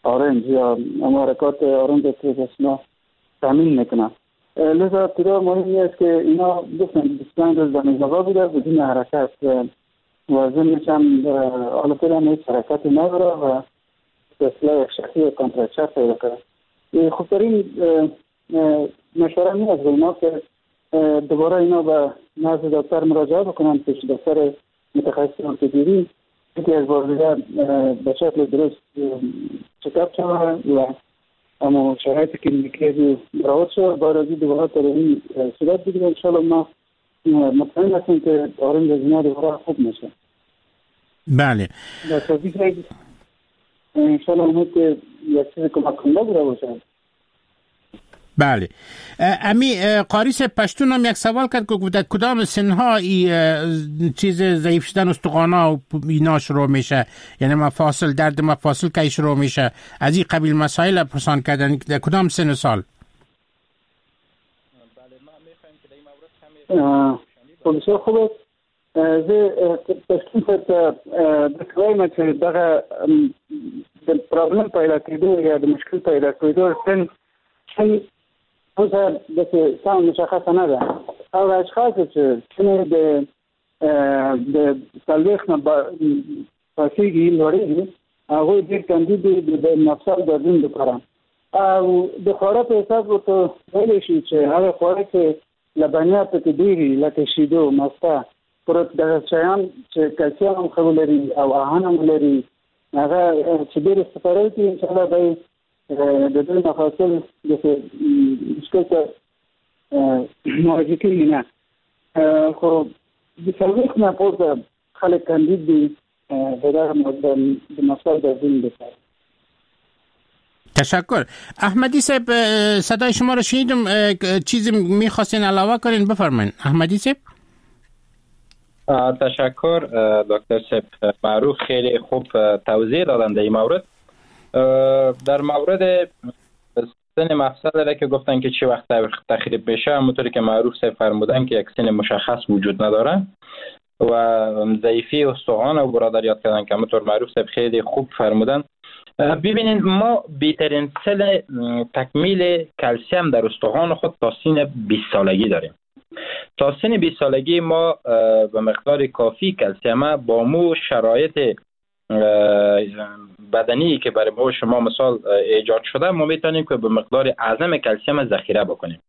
آرنج یا اما حرکات آرنج که به اصطلاح تامین میکنه. لذا ابتدا مهم است که اینا گفتن 25 روز در میزابه بوده بدون حرکت و ضمنش هم حالا فعلا هیچ حرکتی نداره و به اصطلاح یک شخصی و contracture پیدا کرده. خوبترین مشوره این است به اینا که دوباره اینا به نزد دکتر مراجعه بکنن، پیش دکتر متخصص ارتوپدی یکی از بار دیگه به شکل درست چکاپ شود و اما شرایط کلینیکی برآورد شد، باید از این دوباره تداوی صورت بگیره. انشاءالله ما مطمئن هستیم که آرنج از اینا دوباره خوب میشه. بله انشاءالله امید که یک چیز کمک کننده بوده باشه. بله امی قاریس پشتون هم یک سوال کرد که در کدام سنها ای چیز ضعیف شدن استخوان‌ها و اینا شروع میشه، یعنی مفاصل، درد مفاصل کی شروع میشه، از این قبیل مسائل پرسان کردن در کدام سن و سال؟ بله ما میخوایم که در این مورد کمی بسیار خوب است. زه پشتون صاحب ته داسې وایم چې دغه د problem پیدا کېدو یا د مشکل پیدا کېدو سن اوسه داسې سمه مشخصه نه ده. هغه اشخاص چې سنې د 40 نه پاسېږي لوړېږي، هغوی ډېر کاندید دي د مفصل دردونو لپاره. او د خواړه په حساب ورته ویلی شي چې هغه خواړه چې لبنیات پکې ډېر وي لکه شیدو، مسته، پروت، دغه شیان چې کلسیم هم ښه ولري او آهن هم ولري، هغه چې ډېر استفاده وکړي انشاءالله به د دوی مفاصل داسې مشکل ته مواجه کېږي نه. خو د 40 نه پورته خلک کاندید دي د دغه د مفصل دردونو لپاره. تشکر. احمدی صاحب، صدای شما رو شنیدم، چیزی میخواستین علاوه کنین بفرمایین. احمدی صاحب. تشکر دکتر صاحب معروف، خیلی خوب توضیح دادن در این مورد. در مورد سن مفصل را که گفتن که چه وقت تخریب بشه، همونطوری که معروف صاحب فرمودن که یک سن مشخص وجود نداره و ضعیفی استخوان و برادر یاد کردن که همونطور معروف صاحب خیلی خوب فرمودن. ببینید ما بهترین سن تکمیل کلسیم در استخوان خود تا سن 20 سالگی داریم. تا سن 20 سالگی ما به مقدار کافی کلسیم با مو شرایط بدنی که برای ما شما مثال ایجاد شده، ما میتونیم که به مقدار اعظم کلسیم ذخیره بکنیم.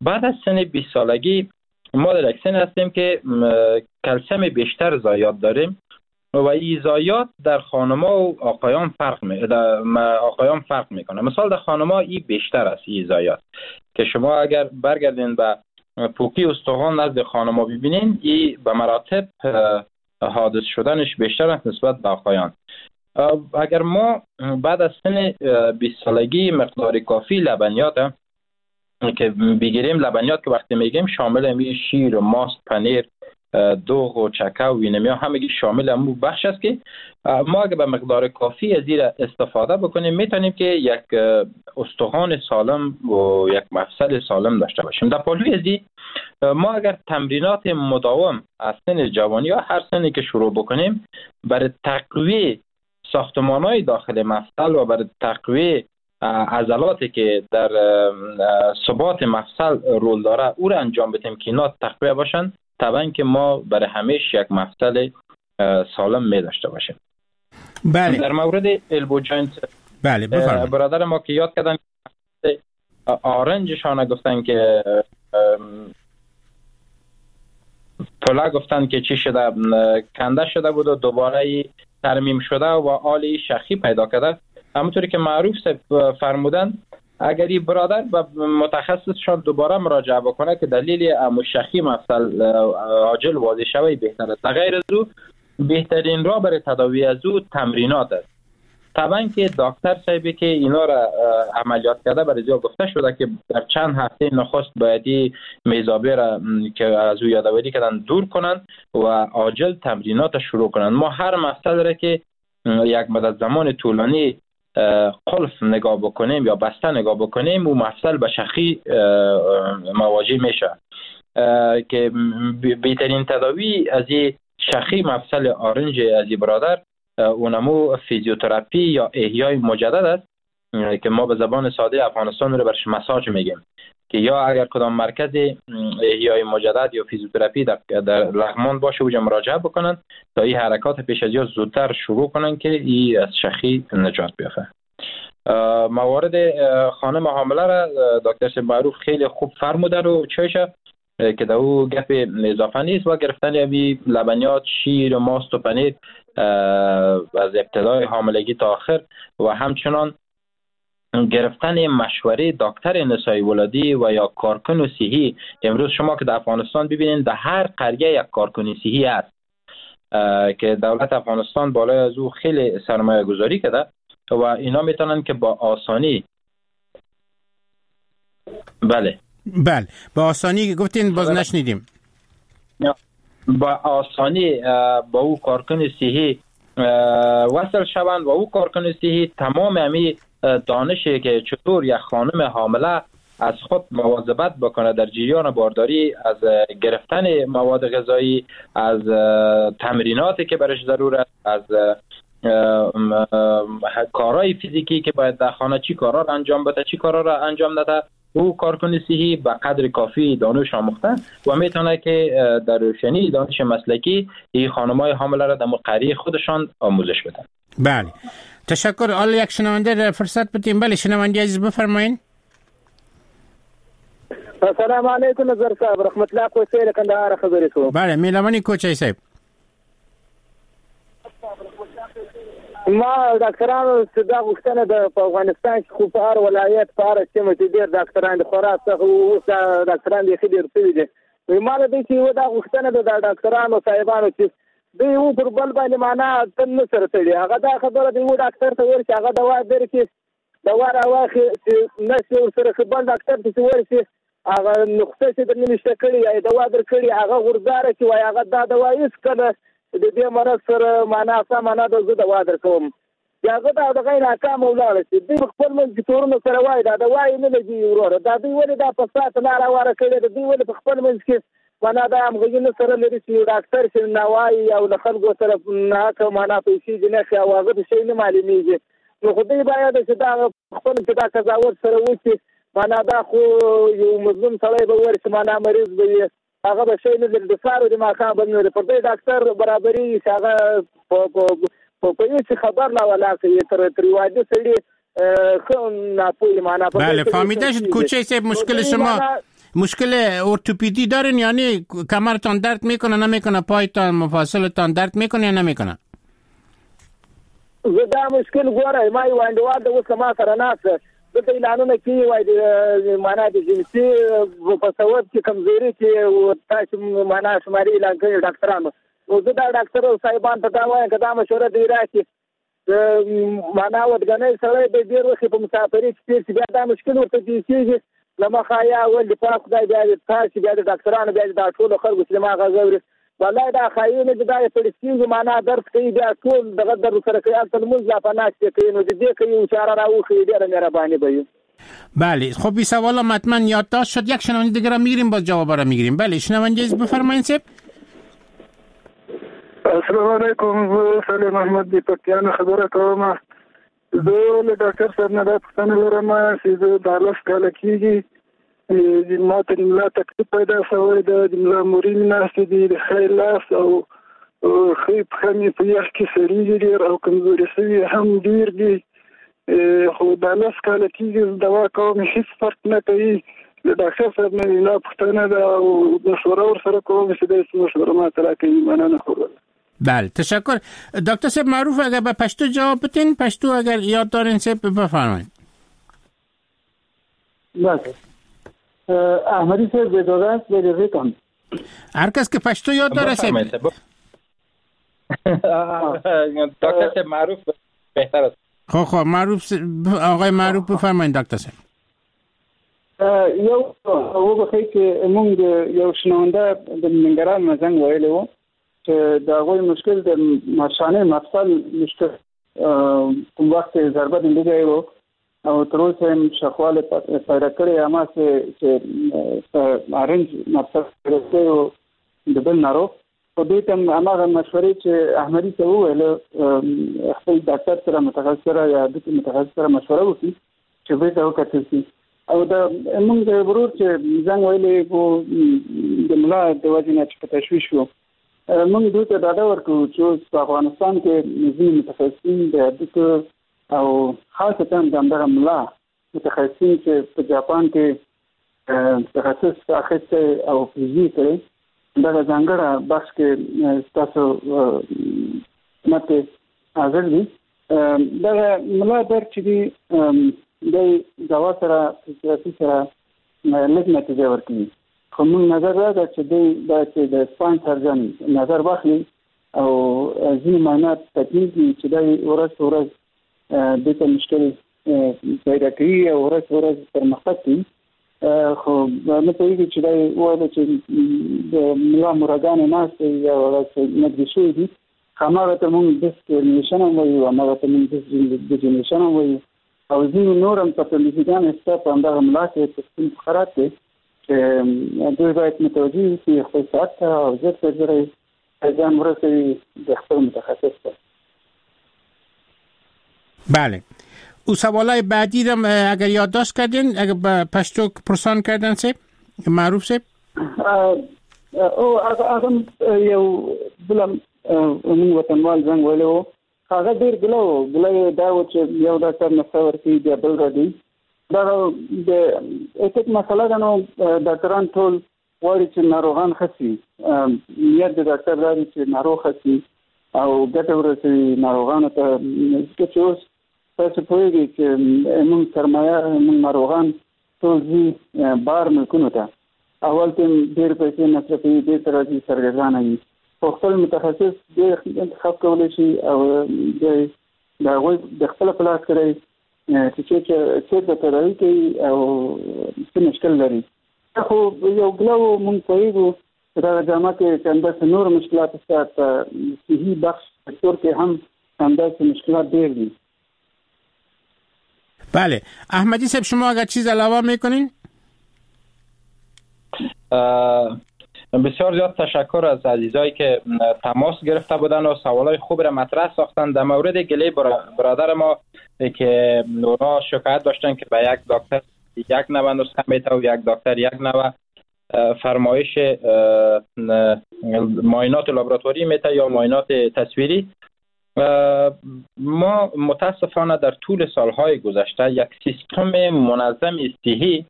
بعد از سن 20 سالگی ما در یک سن هستیم که کلسیم بیشتر ضایعات داریم و این ضایعات در خانم‌ها و آقایان فرق میکنه. مثال در خانم‌ها این بیشتر است، این ضایعات که شما اگر برگردین به پوکی استخوان نزد خانم‌ها ببینین، این به مراتب حادث شدنش بیشتر است نسبت به آقایان. اگر ما بعد از سن 20 سالگی مقدار کافی لبنیات که بگیریم، لبنیات که وقتی میگیم شامل می شیر و ماست، پنیر، دوغ و چکه و وینمیا، همگی شامل امو بخش است که ما اگر به مقدار کافی از این استفاده بکنیم میتونیم که یک استخوان سالم و یک مفصل سالم داشته باشیم. در پالوی از این ما اگر تمرینات مداوم از سن جوانی یا هر سنی که شروع بکنیم برای تقویه ساختمان‌های داخل مفصل و برای تقویه عضلاتی که در ثبات مفصل رول داره او را انجام بدیم که اینا تقویه باشن، طبعا که ما برای همیشه یک مفصل سالم می داشته باشیم. بله. در مورد elbow joint، بله بفرمایید. برادر ما که یاد کردن آرنجشان گفتن که پلا گفتن که چی شده، کنده شده بود و دوباره ترمیم شده و آلی شخی پیدا کرده. همونطوری که معروف فرمودن اگر این برادر به متخصصشان دوباره مراجعه بکنه که دلیل مشخی مفصل عاجل واضح شوی بهتر است. غیر از او بهترین راه برای تداوی از او تمرینات است. طبعا که دکتر صاحبی که اینا را عملیات کرده برای زیاد گفته شده که در چند هفته نخست باید میزابه را که از او یادآوری کردن دور کنن و عاجل تمرینات شروع کنن. ما هر مفصل را که یک مدت زمان طولانی قلف نگاه بکنیم یا بسته نگاه بکنیم و مفصل به شخی مواجه میشه که بهترین تداوی از این شخی مفصل آرنج از این برادر اونمو فیزیوتراپی یا احیای مجدد است که ما به زبان ساده افغانستان رو برش مساج میگیم، که یا اگر کدام مرکز احیای مجدد یا فیزیوتراپی در لغمان باشه اوجا مراجعه بکنن تا این حرکات پیش از یا زودتر شروع کنن که این از شخی نجات بیافه. موارد خانم حامله را دکتر معروف خیلی خوب فرموده رو چایشه که در او گپ اضافه نیست و گرفتن یعنی لبنیات، شیر و ماست و پنیر از ابتدای حاملگی تا آخر و همچنان گرفتن مشوره دکتر نسای ولادی و یا کارکن صحی. امروز شما که در افغانستان ببینید در هر قریه یک کارکن صحی است که دولت افغانستان بالای از او خیلی سرمایه گذاری کرده و اینا میتونن که با آسانی بله بله با آسانی گفتین باز نشنیدیم با آسانی با او کارکن صحی وصل شوند و او کارکن صحی تمام همی دانشی که چطور یک خانم حامله از خود مواظبت بکنه در جریان بارداری، از گرفتن مواد غذایی، از تمریناتی که برش ضرور است، از کارهای فیزیکی که باید در خانه چی کارا را انجام بده چی کارا را انجام نده، او کارکن صحی به قدر کافی دانش آموخته و میتونه که در روشنی دانش مسلکی این خانمای حامله را در قریه خودشان آموزش بدن. بله، تشکر. حالا یک شنونده فرصت بدیم. بله شنونده عزیز بفرمایین. السلام علیکم نظر صاحب، رحمت الله کوچی له کندهار خبرې کوم. بله مهرباني کوچی صاحب. ما ډاکټرانو څه دا غوښتنه ده په افغانستان کې خو په هر ولایت په هره سیمه کې ډېر ډاکټران دي، خورا سخت اوس ډاکټران بیخي ډېر سوي دي. ما له دې چې یوه دا غوښتنه ده د ډاکټرانو صاحبانو چې دوی یو پر بل باندې معنا تل نه سره تړي. هغه دا خبره د یو ډاکټر ته ورشي، هغه دوا درکړي، دوا راواخلي چې نه شي ورسره ښه، بل ډاکټر ته چې ورشي هغه نسخه چې درنه نشته کړې یا یې دوا درکړې، هغه غورځاره چې وایي هغه دا دوا هېڅکله د دې مرض سره معنا سمه نه ده، زه دوا درکوم. چې هغه دا دغه یې ناکامه ولاړه شي. دوی په خپل منځ کې تورونه سره وایي دا دوا یې نه لګېږي وروره، دا دوی ولې دا فساد لاره هواره کړې ده؟ دوی ولې په خپل منځ کې معنا دا همغږي نه سره لري چې یو ډاکټر چې ناوایي او له خلکو سره ناحقه معنا پیسې دې نه ښي او هغه ته شی نه معلومېږي. نو خو دوی باید چې دا خپل چې دا قضاوت سره وکړي. معنا دا خو یو مظلوم سړی به ورشي، معنا مریض به وي، هغه به شی نه لري، د سهار او د ماښام به نه لري. پر دې ډاکټر برابرېږي چې هغه په هېڅ خبر لا ولاړ کوي تر یو عادي سړي ښه ناپوهي معنا. بله فهمیده شد کوچه صاحب. مشکل شما مشکل ارتوپدی دارین، یعنی کمرتان درد میکنه نمیکنه، پایتان مفاصلتان درد میکنه یا نمیکنه؟ زه دا مشکل ګوره ما یو انډیوال د اوس له ما سره ناست ده، دلته اعلانونه کېږي وایي د معنا د جنسي په سبب کې کمزوري چې تاسو معنا شمارې اعلان کړي ډاکټرانو. نو زه دا ډاکټر صاحبان ته دا وایم که دا مشوره دوی راکړي معنا ودګنی سړی به ډېر وخت په مسافري کې تېر شي، بیا دا مشکل ورته پېښېږي. له مخه یا اول د پاک خدای بیا د تاسو بیا د ډاکټرانو بیا د دا ټولو خلکو چې ما غږ اوري والله دا ښایي نه چې دا یې پړسېږي معنا درد کوي، بیا ټول دغه درد سره کوي، هلته لمونځ لا په ناستې کوي. نو د دې که یو چاره راوښیي ډېره مهرباني به وي. بله خب این سوال هم حتما یادداشت شد. یک شنونده دیگه را میگیریم باز جواب را میگیریم. بله شنونده عزیز بفرمایید صاحب. السلام علیکم، زه سلیم احمد د پکتیا نه خبره کوم. زه له ډاکټر صاحب نه دا پوښتنه لرم چې زه دا لس کاله کېږي ما ته د ملا تکلیف پیدا شوی ده، د ملا مورې مې ناستې دي، د ښی لاس او ښۍ پښه مې په یخ کې سړېږي ډېر او کمزوري شوي هم ډېر دي. خو دا لس کاله کېږي زه دوا کوم هېڅ فرق نه کوي. له ډاکټر صاحب نه مې دا پوښتنه ده او مشوره ورسره کوم چې دی څه مشوره ماته راکوي. مننه خو. بله تشکر. دکتر صاحب معروف اگر به پشتو جواب بدین، پشتو اگر یاد دارین صاحب بفرمایید. بله احمدی صاحب اجازه است به کن. هر کس که پشتو یاد داره صاحب. دکتر صاحب معروف بهتر است. خب معروف آقای معروف بفرمایید دکتر صاحب. یو وبخښئ چې موږ یو شنونده د ننګرهار نه زنګ ویلی و چې د هغوی مشکل د مشانې مفصل مشکل کوم وخت یې ضربه لیدلی و او تر اوسه یې شخوالی پیدا کړی، هماغسې چې په ارنج مفصل پیدا کړی و د بل ناروغ. خو دوی ته هماغه مشورې چې احمدي ته وویل خپل ډاکټر سره متخصص سره یا د متخصص سره مشوره وکړي چې بیرته وکتل شي. او د موږ ورور چې زنګ ویلی و د ملا د وجې نه چې په تشویش و، موږ دوی ته ډاډه ورکړو چې اوس په افغانستان کې ځینې متخصصین د هډوکو او خاصتاً د همدغه ملا متخصصین چې په جاپان کې تخصص اخیستی او فزي کړی دغه ځانګړه بخش کې ستاسو خدمت کې حاضر دي. دغه ملا درد چې دی دی دوا سره فزیوتراپي سره لږ نتیجه ورکوي، خو موږ نظر دا ده چې دوی دا چې د سپاین سرجن نظر واخلي او ځینې معاینات تکمیل کړي چې دی ورځ په ورځ دوی ته مشکل پیدا کوي او ورځ په ورځ پرمختګ کوي. خو نه پوهېږي چې دی وویل چې د ملا مورګانې ناستې یا ورځ نږدې شوي دي، هماغه ته موږ ډیسک هرنیشن هم وایو، هماغه ته موږ ډیسک ډیجنریشن هم وایو او ځینې نور هم پاتولوژیګانې شته په همدغه ملا کې په ستون فقرات کې چې دوی باید متوجه اوسي خپل ساعت ته او ژر تر ژره ځان ورسوي د خپل متخصص ته. بله او سوالای بعدی رم اگر یادداشت کردین، اگر به پشتو پرسان کردن صاحب معروف صاحب. او هغه یو بل موږ وطنوال زنګ ویلی و، هغه ډېر ګله و، ګله یې دا و چې یو ډاکټر نسخه ورکوي بیا بل راځي. دغه د ethic مسله ده، نو ډاکټران ټول غواړي چې ناروغان ښه شي، نیت د ډاکټر دا دی چې ناروغ ښه شي او ګټه ورسوي ناروغانو ته. ځکه چې اوس تاسو پوهېږئ چې موږ سرمایه، موږ ناروغان ټول ځي بار ملکونو ته، اول ته ډېر پیسې مصرفوي، بېرته راځي سرګردانه وي. خو خپل متخصص ډېر انتخاب کولی شي او د هغوی د خپله په لاس کړی چې چېرته تداوي کوي او څه مشکل لري. خو یو ګله و، موږ پوهېږو چې دغه جامعه کې چې همداسې نور مشکلات شته، په صحي بخش سکتور کې هم همداسې مشکلات ډېر دي. بله احمدی صاحب، شما اگر چیز علاوه میکنین؟ بسیار زیاد تشکر از عزیزایی که تماس گرفته بودن و سوالای خوب را مطرح ساختن. در مورد گله برادر ما که اونا شکایت داشتن که به یک دکتر یک نوع نسخه میته و یک دکتر یک نوع فرمایش معاینات لابراتوری میته یا معاینات تصویری، ما متاسفانه در طول سالهای گذشته یک سیستم منظم صحی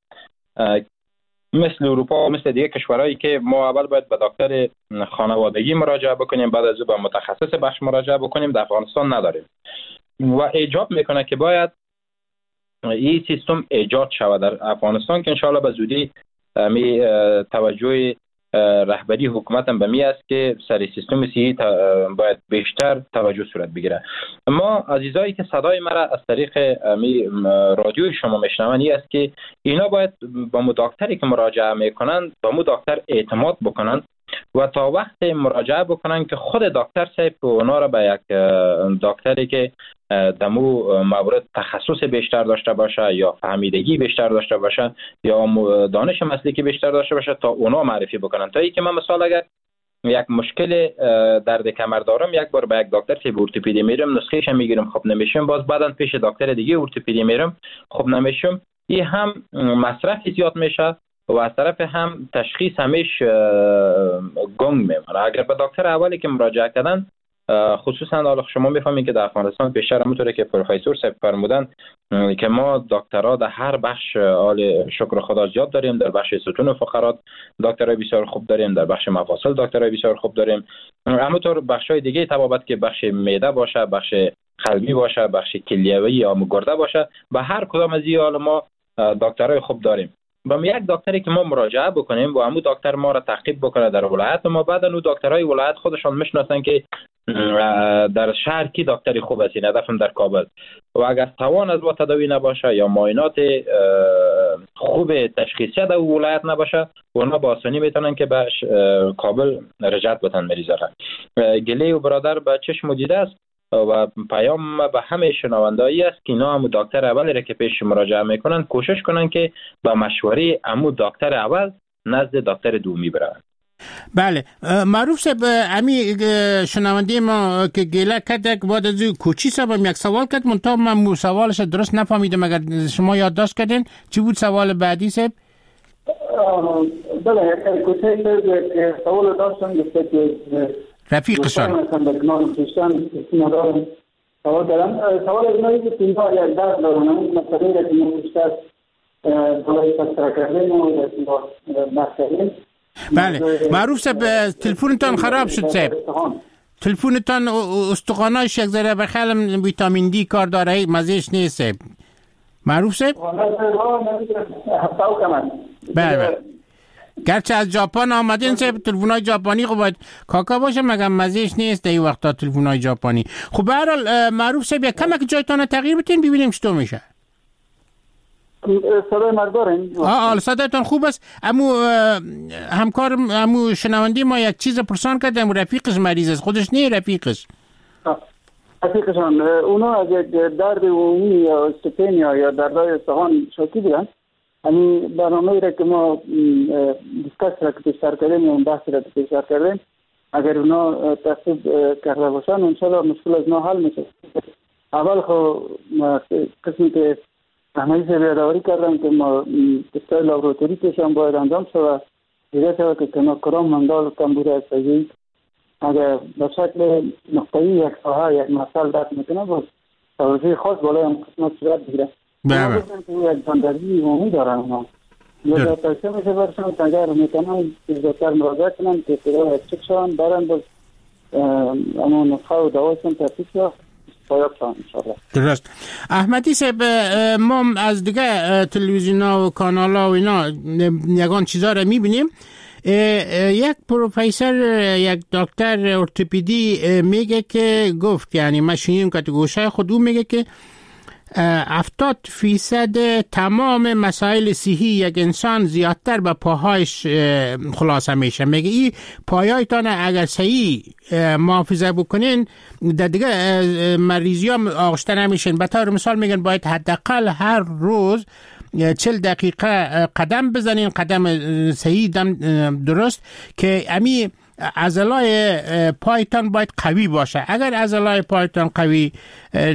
مثل اروپا و مثل دیگه کشورهایی که ما اول باید به دکتر خانوادگی مراجعه بکنیم، بعد از او به متخصص بخش مراجعه بکنیم، در افغانستان نداریم و ایجاب میکنه که باید این سیستم ایجاد شود در افغانستان که انشاءالله به زودی می توجه رهبری حکومت هم به می است که سر سیستم صحی باید بیشتر توجه صورت بگیره. ما عزیزایی که صدای مرا از طریق می رادیو شما میشنون این است که اینا باید با مو دکتری که مراجعه میکنن با مو دکتر اعتماد بکنن و تا وقت مراجعه بکنن که خود دکتر صاحب اونا را به یک دکتری که دمو مورد تخصص بیشتر داشته باشه یا فهمیدگی بیشتر داشته باشه یا دانش مسلکی بیشتر داشته باشه تا اونا معرفی بکنن. تا اینکه من مثال اگر یک مشکل درد کمر دارم، یک بار به یک دکتر که ارتوپدی میرم نسخه‌اش میگیرم، خب نمیشم، باز بعدن پیش دکتر دیگه ارتوپدی میرم، خب نمیشم، این هم مصرف زیاد میشه و از طرف هم تشخیص همیش گنگ میمونه. اگر به دکتر اولی که مراجعه کردن، خصوصا حالا شما میفهمید که در افغانستان بیشتر همونطوری که پروفسور صاحب فرمودن که ما دکترها در هر بخش حال شکر خدا زیاد داریم، در بخش ستون و فقرات دکترای بسیار خوب داریم، در بخش مفاصل دکترای بسیار خوب داریم، همونطور بخش‌های دیگه طبابت که بخش معده باشه، بخش قلبی باشه، بخش کلیوی یا گرده باشه، به هر کدام از این حال ما دکترای خوب داریم. با یک دکتری که ما مراجعه بکنیم و همون دکتر ما را تعقیب بکنه در ولایت ما، بعدا اون دکترای ولایت خودشان میشناسن که در شهر کی دکتری خوب است، این هدفم در کابل، و اگر توان از با تداوی نباشه یا معاینات خوب تشخیصی در ولایت نباشه، اونا با آسانی میتونن که به کابل رجعت بتن مریضا را. گله و برادر به چشم دیده است و پیام به همه شنوندایی است که اینا همو دکتر اول را که پیش مراجعه میکنن کوشش کنن که با مشوره همو دکتر اول نزد دکتر دومی بروند. بله معروف صاحب، امی شنونده ما که گله کرد بعد از کوچی صاحب یک سوال کرد، منتها من سوالش درست نفهمیدم، اگر شما یادداشت کردین چی بود سوال بعدی صاحب؟ بله کوچی صاحب سوال داشتن گفته که رفیقشان سوال دارم، سوال از اینایی که اینها یک درد دارن، اون مسئله را که ما بیشتر بالای تذکره کردیم و بحث کردیم. بله معروف صاحب تلفونتان خراب شد صاحب، تلفونتان استخوانایش یک ذره به خیالم ویتامین دی کار داره، مزهش نیست صاحب. معروف صاحب؟ بله گرچه از ژاپن آمدین صاحب، تلفن‌های ژاپنی خب باید کاکا باشه، مگه مزهش نیست در این وقتا تلفن‌های ژاپنی. خب به هر حال معروف صاحب یک کمک جایتان تغییر بدین ببینیم چطور میشه. صدای مرد دارین؟ آه صدایتان خوب است. امو همکار امو شنونده ما یک چیز پرسان کرد، امو رفیقش مریض است، خودش نه رفیقش. رفیقشان اونا از یک درد عمومی یا استپنیا یا دردهای استخوان شاکی بودن. همین برنامه را که ما discuss را که پیشتر کردیم و بحث را که پیشتر کردیم، اگر اونا تعقیب کرده باشن انشالله مشکل از ما حل میشه. اول خو قسمی که احمدی صاحب یادآوری کردم که ما تستای لابراتوری پیشان باید انجام شود، دیده شود که کدام مندال کمبود است. اگر به شکل نقطه‌ای یک ساحه یک مسئله درد میکنه باز توجه خاص بالای هم قسمت صورت بگیره. بله. یک جاندردی عمومی دارن اونا. لذا توصیه میشه برشان اگر میتونن زودتر مراجعه کنن که ابتدا چک شوند، برن باز اما نسخه و دوایشون ترتیب شود. درست. احمدی صاحب، ما از دیگه تلویزیون ها و کانال ها و اینا یگان چیزا رو میبینیم. یک پروفسور، یک دکتر ارتوپدی میگه که گفت، یعنی ما شنیدیم که تو گوشه خود او میگه که 70% تمام مسائل صحی یک انسان زیادتر به پاهایش خلاصه میشه. میگه این پایایتان اگر صحیح محافظه بکنین در دیگه مریضی ها آغشته نمیشین. به طور مثال میگن باید حداقل هر روز 40 دقیقه قدم بزنین، قدم صحیح دم درست، که امی عضلای پایتان باید قوی باشه. اگر عضلای پایتان قوی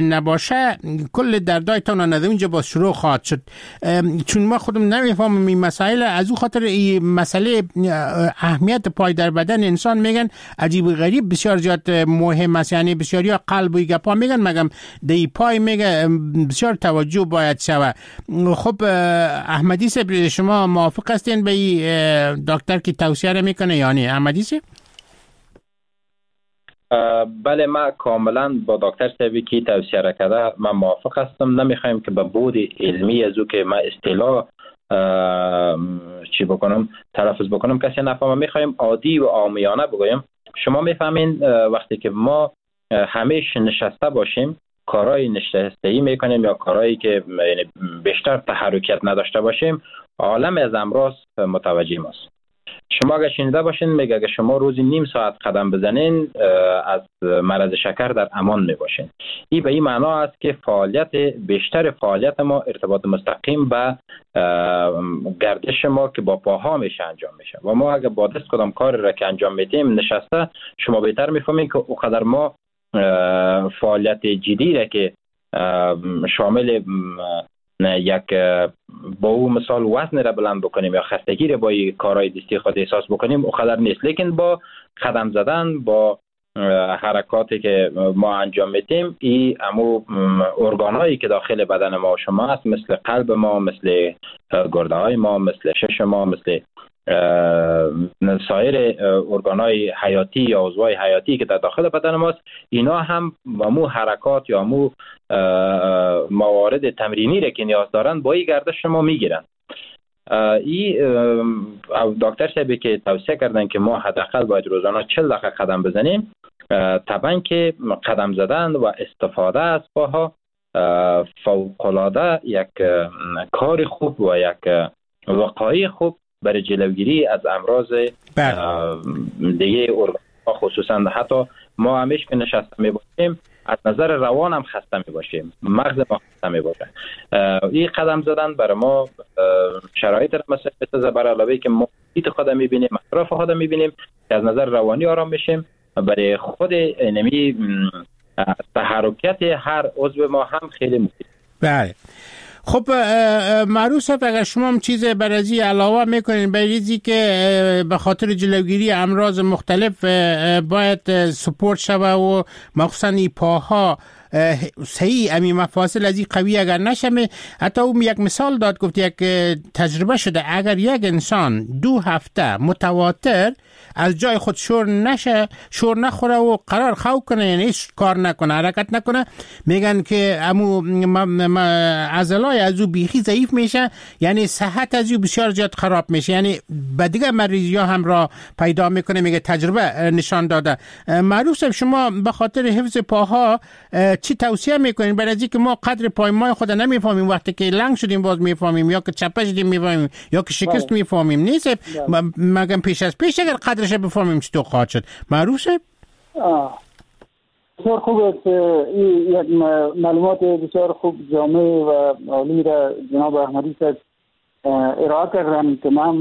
نباشه کل دردایتان از اونجا با شروع خواهد شد. چون ما خودم نمیفهمم این مسائل، از او خاطر این مسئله اهمیت پای در بدن انسان میگن عجیب غریب بسیار زیاد مهم است. یعنی بسیاری ها قلب و گپا میگن، مگم دی پای میگه بسیار توجه باید شوه. خب احمدی صاحب، شما موافق هستین به این دکتر که توصیه میکنه یعنی احمدی صاحب؟ بله، من کاملا با دکتر صاحبی که توصیه را کرده من موافق هستم. نمیخوایم که به بود علمی از او که من اصطلاح چی بکنم تلفظ بکنم کسی نفهمه. میخوایم عادی و عامیانه بگویم. شما میفهمین وقتی که ما همیشه نشسته باشیم، کارهای نشستگی میکنیم یا کارهایی که یعنی بیشتر تحرکیت نداشته باشیم، عالم از امراض متوجه ماست. شما اگه شنیده باشین میگه اگه شما روزی نیم ساعت قدم بزنین از مرض شکر در امان میباشین. این به این معنا است که فعالیت بیشتر فعالیت ما ارتباط مستقیم به گردش ما که با پاها میشه انجام میشه و ما اگه با دست کدام کار را که انجام میدیم نشسته، شما بهتر میفهمین که اوقدر ما فعالیت جدی را که شامل یک با او مثال وزن را بلند بکنیم یا خستگی را با کارهای دستی خود احساس بکنیم اوقدر نیست. لیکن با قدم زدن، با حرکاتی که ما انجام میدیم، این امو ارگانهایی که داخل بدن ما و شما است، مثل قلب ما، مثل گرده های ما، مثل شش ما، مثل سایر ارگانهای حیاتی یا عضوهای حیاتی که در داخل بدن ماست، اینا هم مو حرکات یا مو موارد تمرینی را که نیاز دارن با این گردش شما میگیرن. این دکتر صاحبی که توصیه کردن که ما حداقل باید روزانه 40 دقیقه قدم بزنیم، طبعا که قدم زدن و استفاده از پاها فوق‌العاده یک کار خوب و یک وقایع خوب برای جلوگیری از امراض دیگه ارگان‌ها، خصوصا حتی ما همیشه که نشسته میباشیم از نظر روان هم خسته میباشیم، مغز ما خسته میباشه. این قدم زدن برای ما شرایط را مساعد میسازه، برای علاوه که ما محیط خود میبینیم، اطراف خود میبینیم که از نظر روانی آرام میشیم، برای خود نمی تحرکیت هر عضو ما هم خیلی مفید. بله. خب معروف اگر شما هم چیز برازی علاوه میکنین بریزی که به خاطر جلوگیری امراض مختلف باید سپورت شوه و مخصوصا این پاها صحیح امی مفاصل از این قوی اگر نشمه. حتی او یک مثال داد، گفت یک تجربه شده اگر یک انسان 2 هفته متواتر از جای خود شور نشه، شور نخوره و قرار خو کنه، یعنی هیچ کار نکنه، حرکت نکنه، میگن که امو عضلای از او بیخی ضعیف میشه، یعنی صحت از او بسیار زیاد خراب میشه، یعنی به دیگه مریضی ها هم را پیدا میکنه. میگه تجربه نشان داده. معروف شما به خاطر حفظ پاها چی توصیه میکنین؟ برای اینکه ما قدر پای ما خود نمیفهمیم، وقتی که لنگ شدیم باز میفهمیم، یا که چپه شدیم میفهمیم، یا که شکست میفهمیم، نیست؟ مگم پیش از پیش اگر قدرش بفهمیم چطور خواهد شد. معروف شد؟ بسیار خوب است. این یک معلومات بسیار خوب جامع و عالی را جناب احمدی صاحب ارائه کردن که من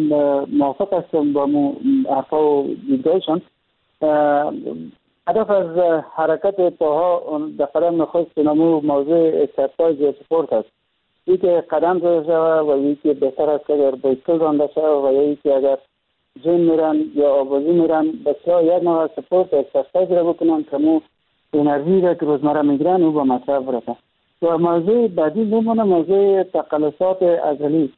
موافق هستم با حرفا و دیدگاهشان. هدف از حرکت پاها در قدم نخست نمو موضوع exercise یا سپورت است. یکی قدم زده شود و یکی بهتر است که اگر بایسکل رانده شود و یکی اگر gym میرن یا آبازی میرن، بسیار یک نوع سپورت exercise را بکنن که مو انرژی را که روزمره میگیرن او به مصرف برسه. و موضوع بعدی میمونه موضوع تقلصات عضلی.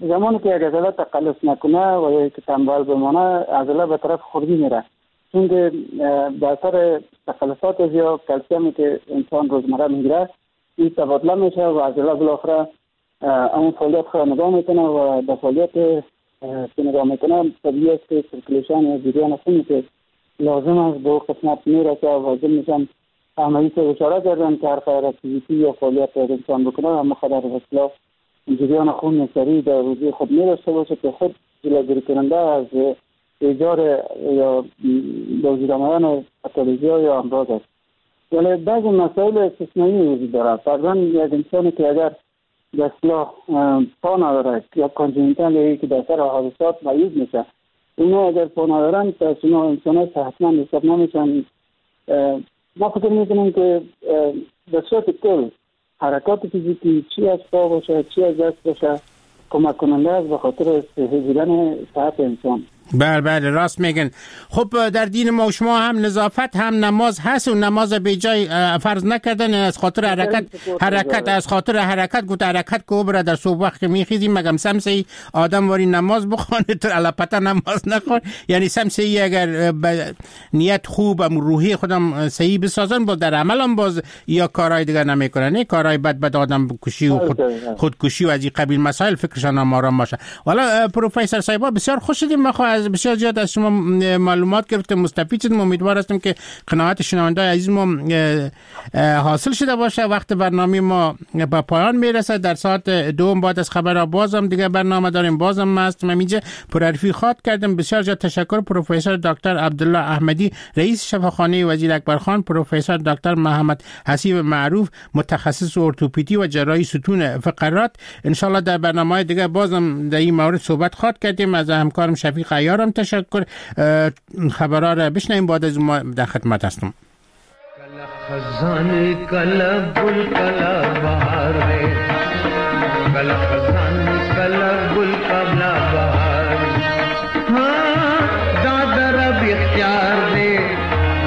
زمانی که یک عضله تقلص نکنه و یا که تنبل بمانه، عضله به طرف خوردی میره، چون که به اثر تقلصات یا کلسیمی که انسان روزمره میگیره این تبادله میشه و عضله بالاخره اون فعالیت خود نگاه میکنه و در فعالیت که نگاه میکنه طبیعی است که circulation یا جریان خونی که لازم است به قسمت میرسه و ضمنش عملی که اشاره کردن که هر قدر activity یا فعالیت انسان بکنه هم قدر به جریان خون سریع در روزی خود میداشته باشه که خود جلوگیری کننده از ایجاد یا به وجود آمدن پاتولوژی یا امراض است. ولی بعضی مسائل استثنایی وجود داره. فرضاً یک انسانی که اگر به اصطلاح پا نداره یا congenital که در اثر حادثات معیوب میشه، اونا اگر پا ندارن پس اونا انسان ها صحتمند حساب نمیشن. ما فکر میکنیم که به صورت کل حرکات فیزیکی چی از پا باشه چی از دست باشه کمک کننده است به خاطر صحیح بودن صحت انسان. بله بله راست میگن. خب در دین ما و شما هم نظافت هم نماز هست و نماز به جای فرض نکردن از خاطر حرکت از خاطر حرکت گفت حرکت کو بره در صبح وقت میخیزیم مگم سمسی آدم واری نماز بخونه تو علاپتا نماز نخون، یعنی سمسی اگر نیت خوب و روحی خودم صحیح بسازن با در عملم باز یا کارهای دیگه نمیکنن، نه کارهای بد بد آدم کشی و خودکشی و از این قبیل مسائل فکرشان هم آرام باشه. والا پروفسور صاحب بسیار خوش شدیم، ما از بسیار زیاد از شما معلومات گرفتم، مستفید شدیم. امیدوار هستم که قناعت شنونده‌های عزیز ما حاصل شده باشه. وقت برنامه ما به پایان میرسه. در ساعت دوم بعد از خبرها بازم دیگه برنامه داریم، بازم هستم اینجا پرحرفی خواد کردم. بسیار زیاد تشکر پروفسور دکتر عبدالله احمدی رئیس شفاخانه وزیر اکبرخان، پروفسور دکتر محمد حسیب معروف متخصص ارتوپدی و جراحی ستون فقرات. ان شاء الله در برنامه‌های دیگه بازم در این مورد صحبت خواد کردیم. از همکارم شفیق عیارم تشکر. خبرها را بشنویم، بعد از ما در خدمت هستم. خزان کلا گل کلا بهار ہے، کلا خزان کلا گل کلا بهار، ہاں دادا رب اختیار دے،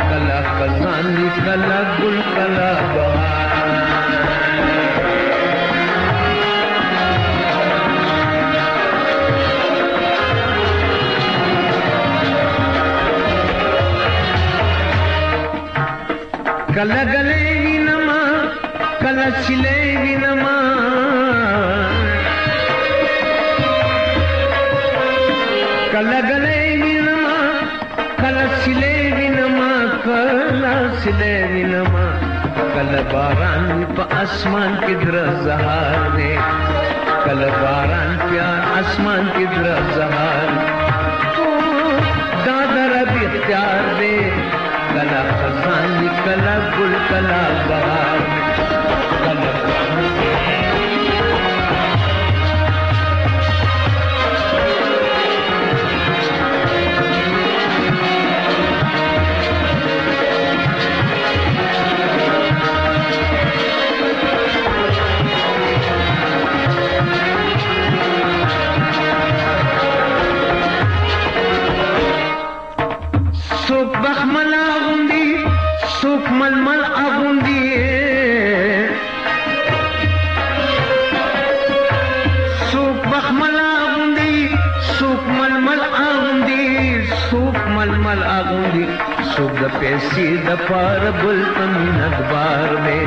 کلا خزان کلا گل کلا بهار. کله غلې وینما کله سلې وینما، کله غلې وینما کله سلې وینما، کله سلې وینما، کله باران په اسمان کې درزهار دی، کله باران په اسمان کې درزهار، دا در اختیار دی، کلا خزان کلا گل کلا بهار، کلا سوک بخمل آغوندی سوک ململ آغوندی، سوک بخمل آغوندی سوک ململ آغوندی، سوک ململ آغوندی، سوک د پیسې د پاره بل تمینت بار دی،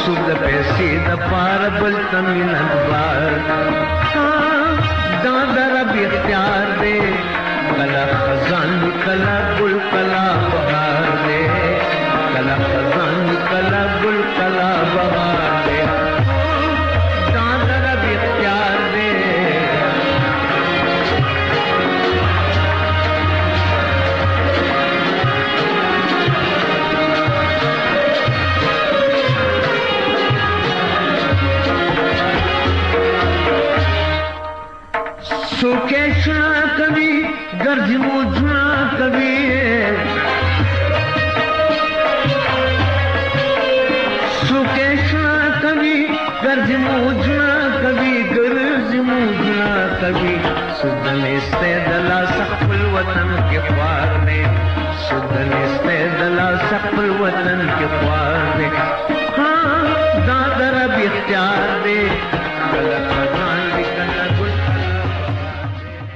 سوک د پیسې د پاره بل تمینت بار، دا د رب اختیار دی، کلا خزان کلا گل کلا بهار دے، کلا خزان کلا گل کلا بهار دے، دادا رب اختیار دے. سوکے سنا کبھی گرج موجنا کبھی، ګرځي موجونه کوي، ګرځي موجونه کوي. څوک د نیستۍ د لاسه خپل وطن کې خوار دی، څوک د نیستۍ د لاسه خپل وطن کې خوار دی. ها، دا د رب اختیار دی، کله خزان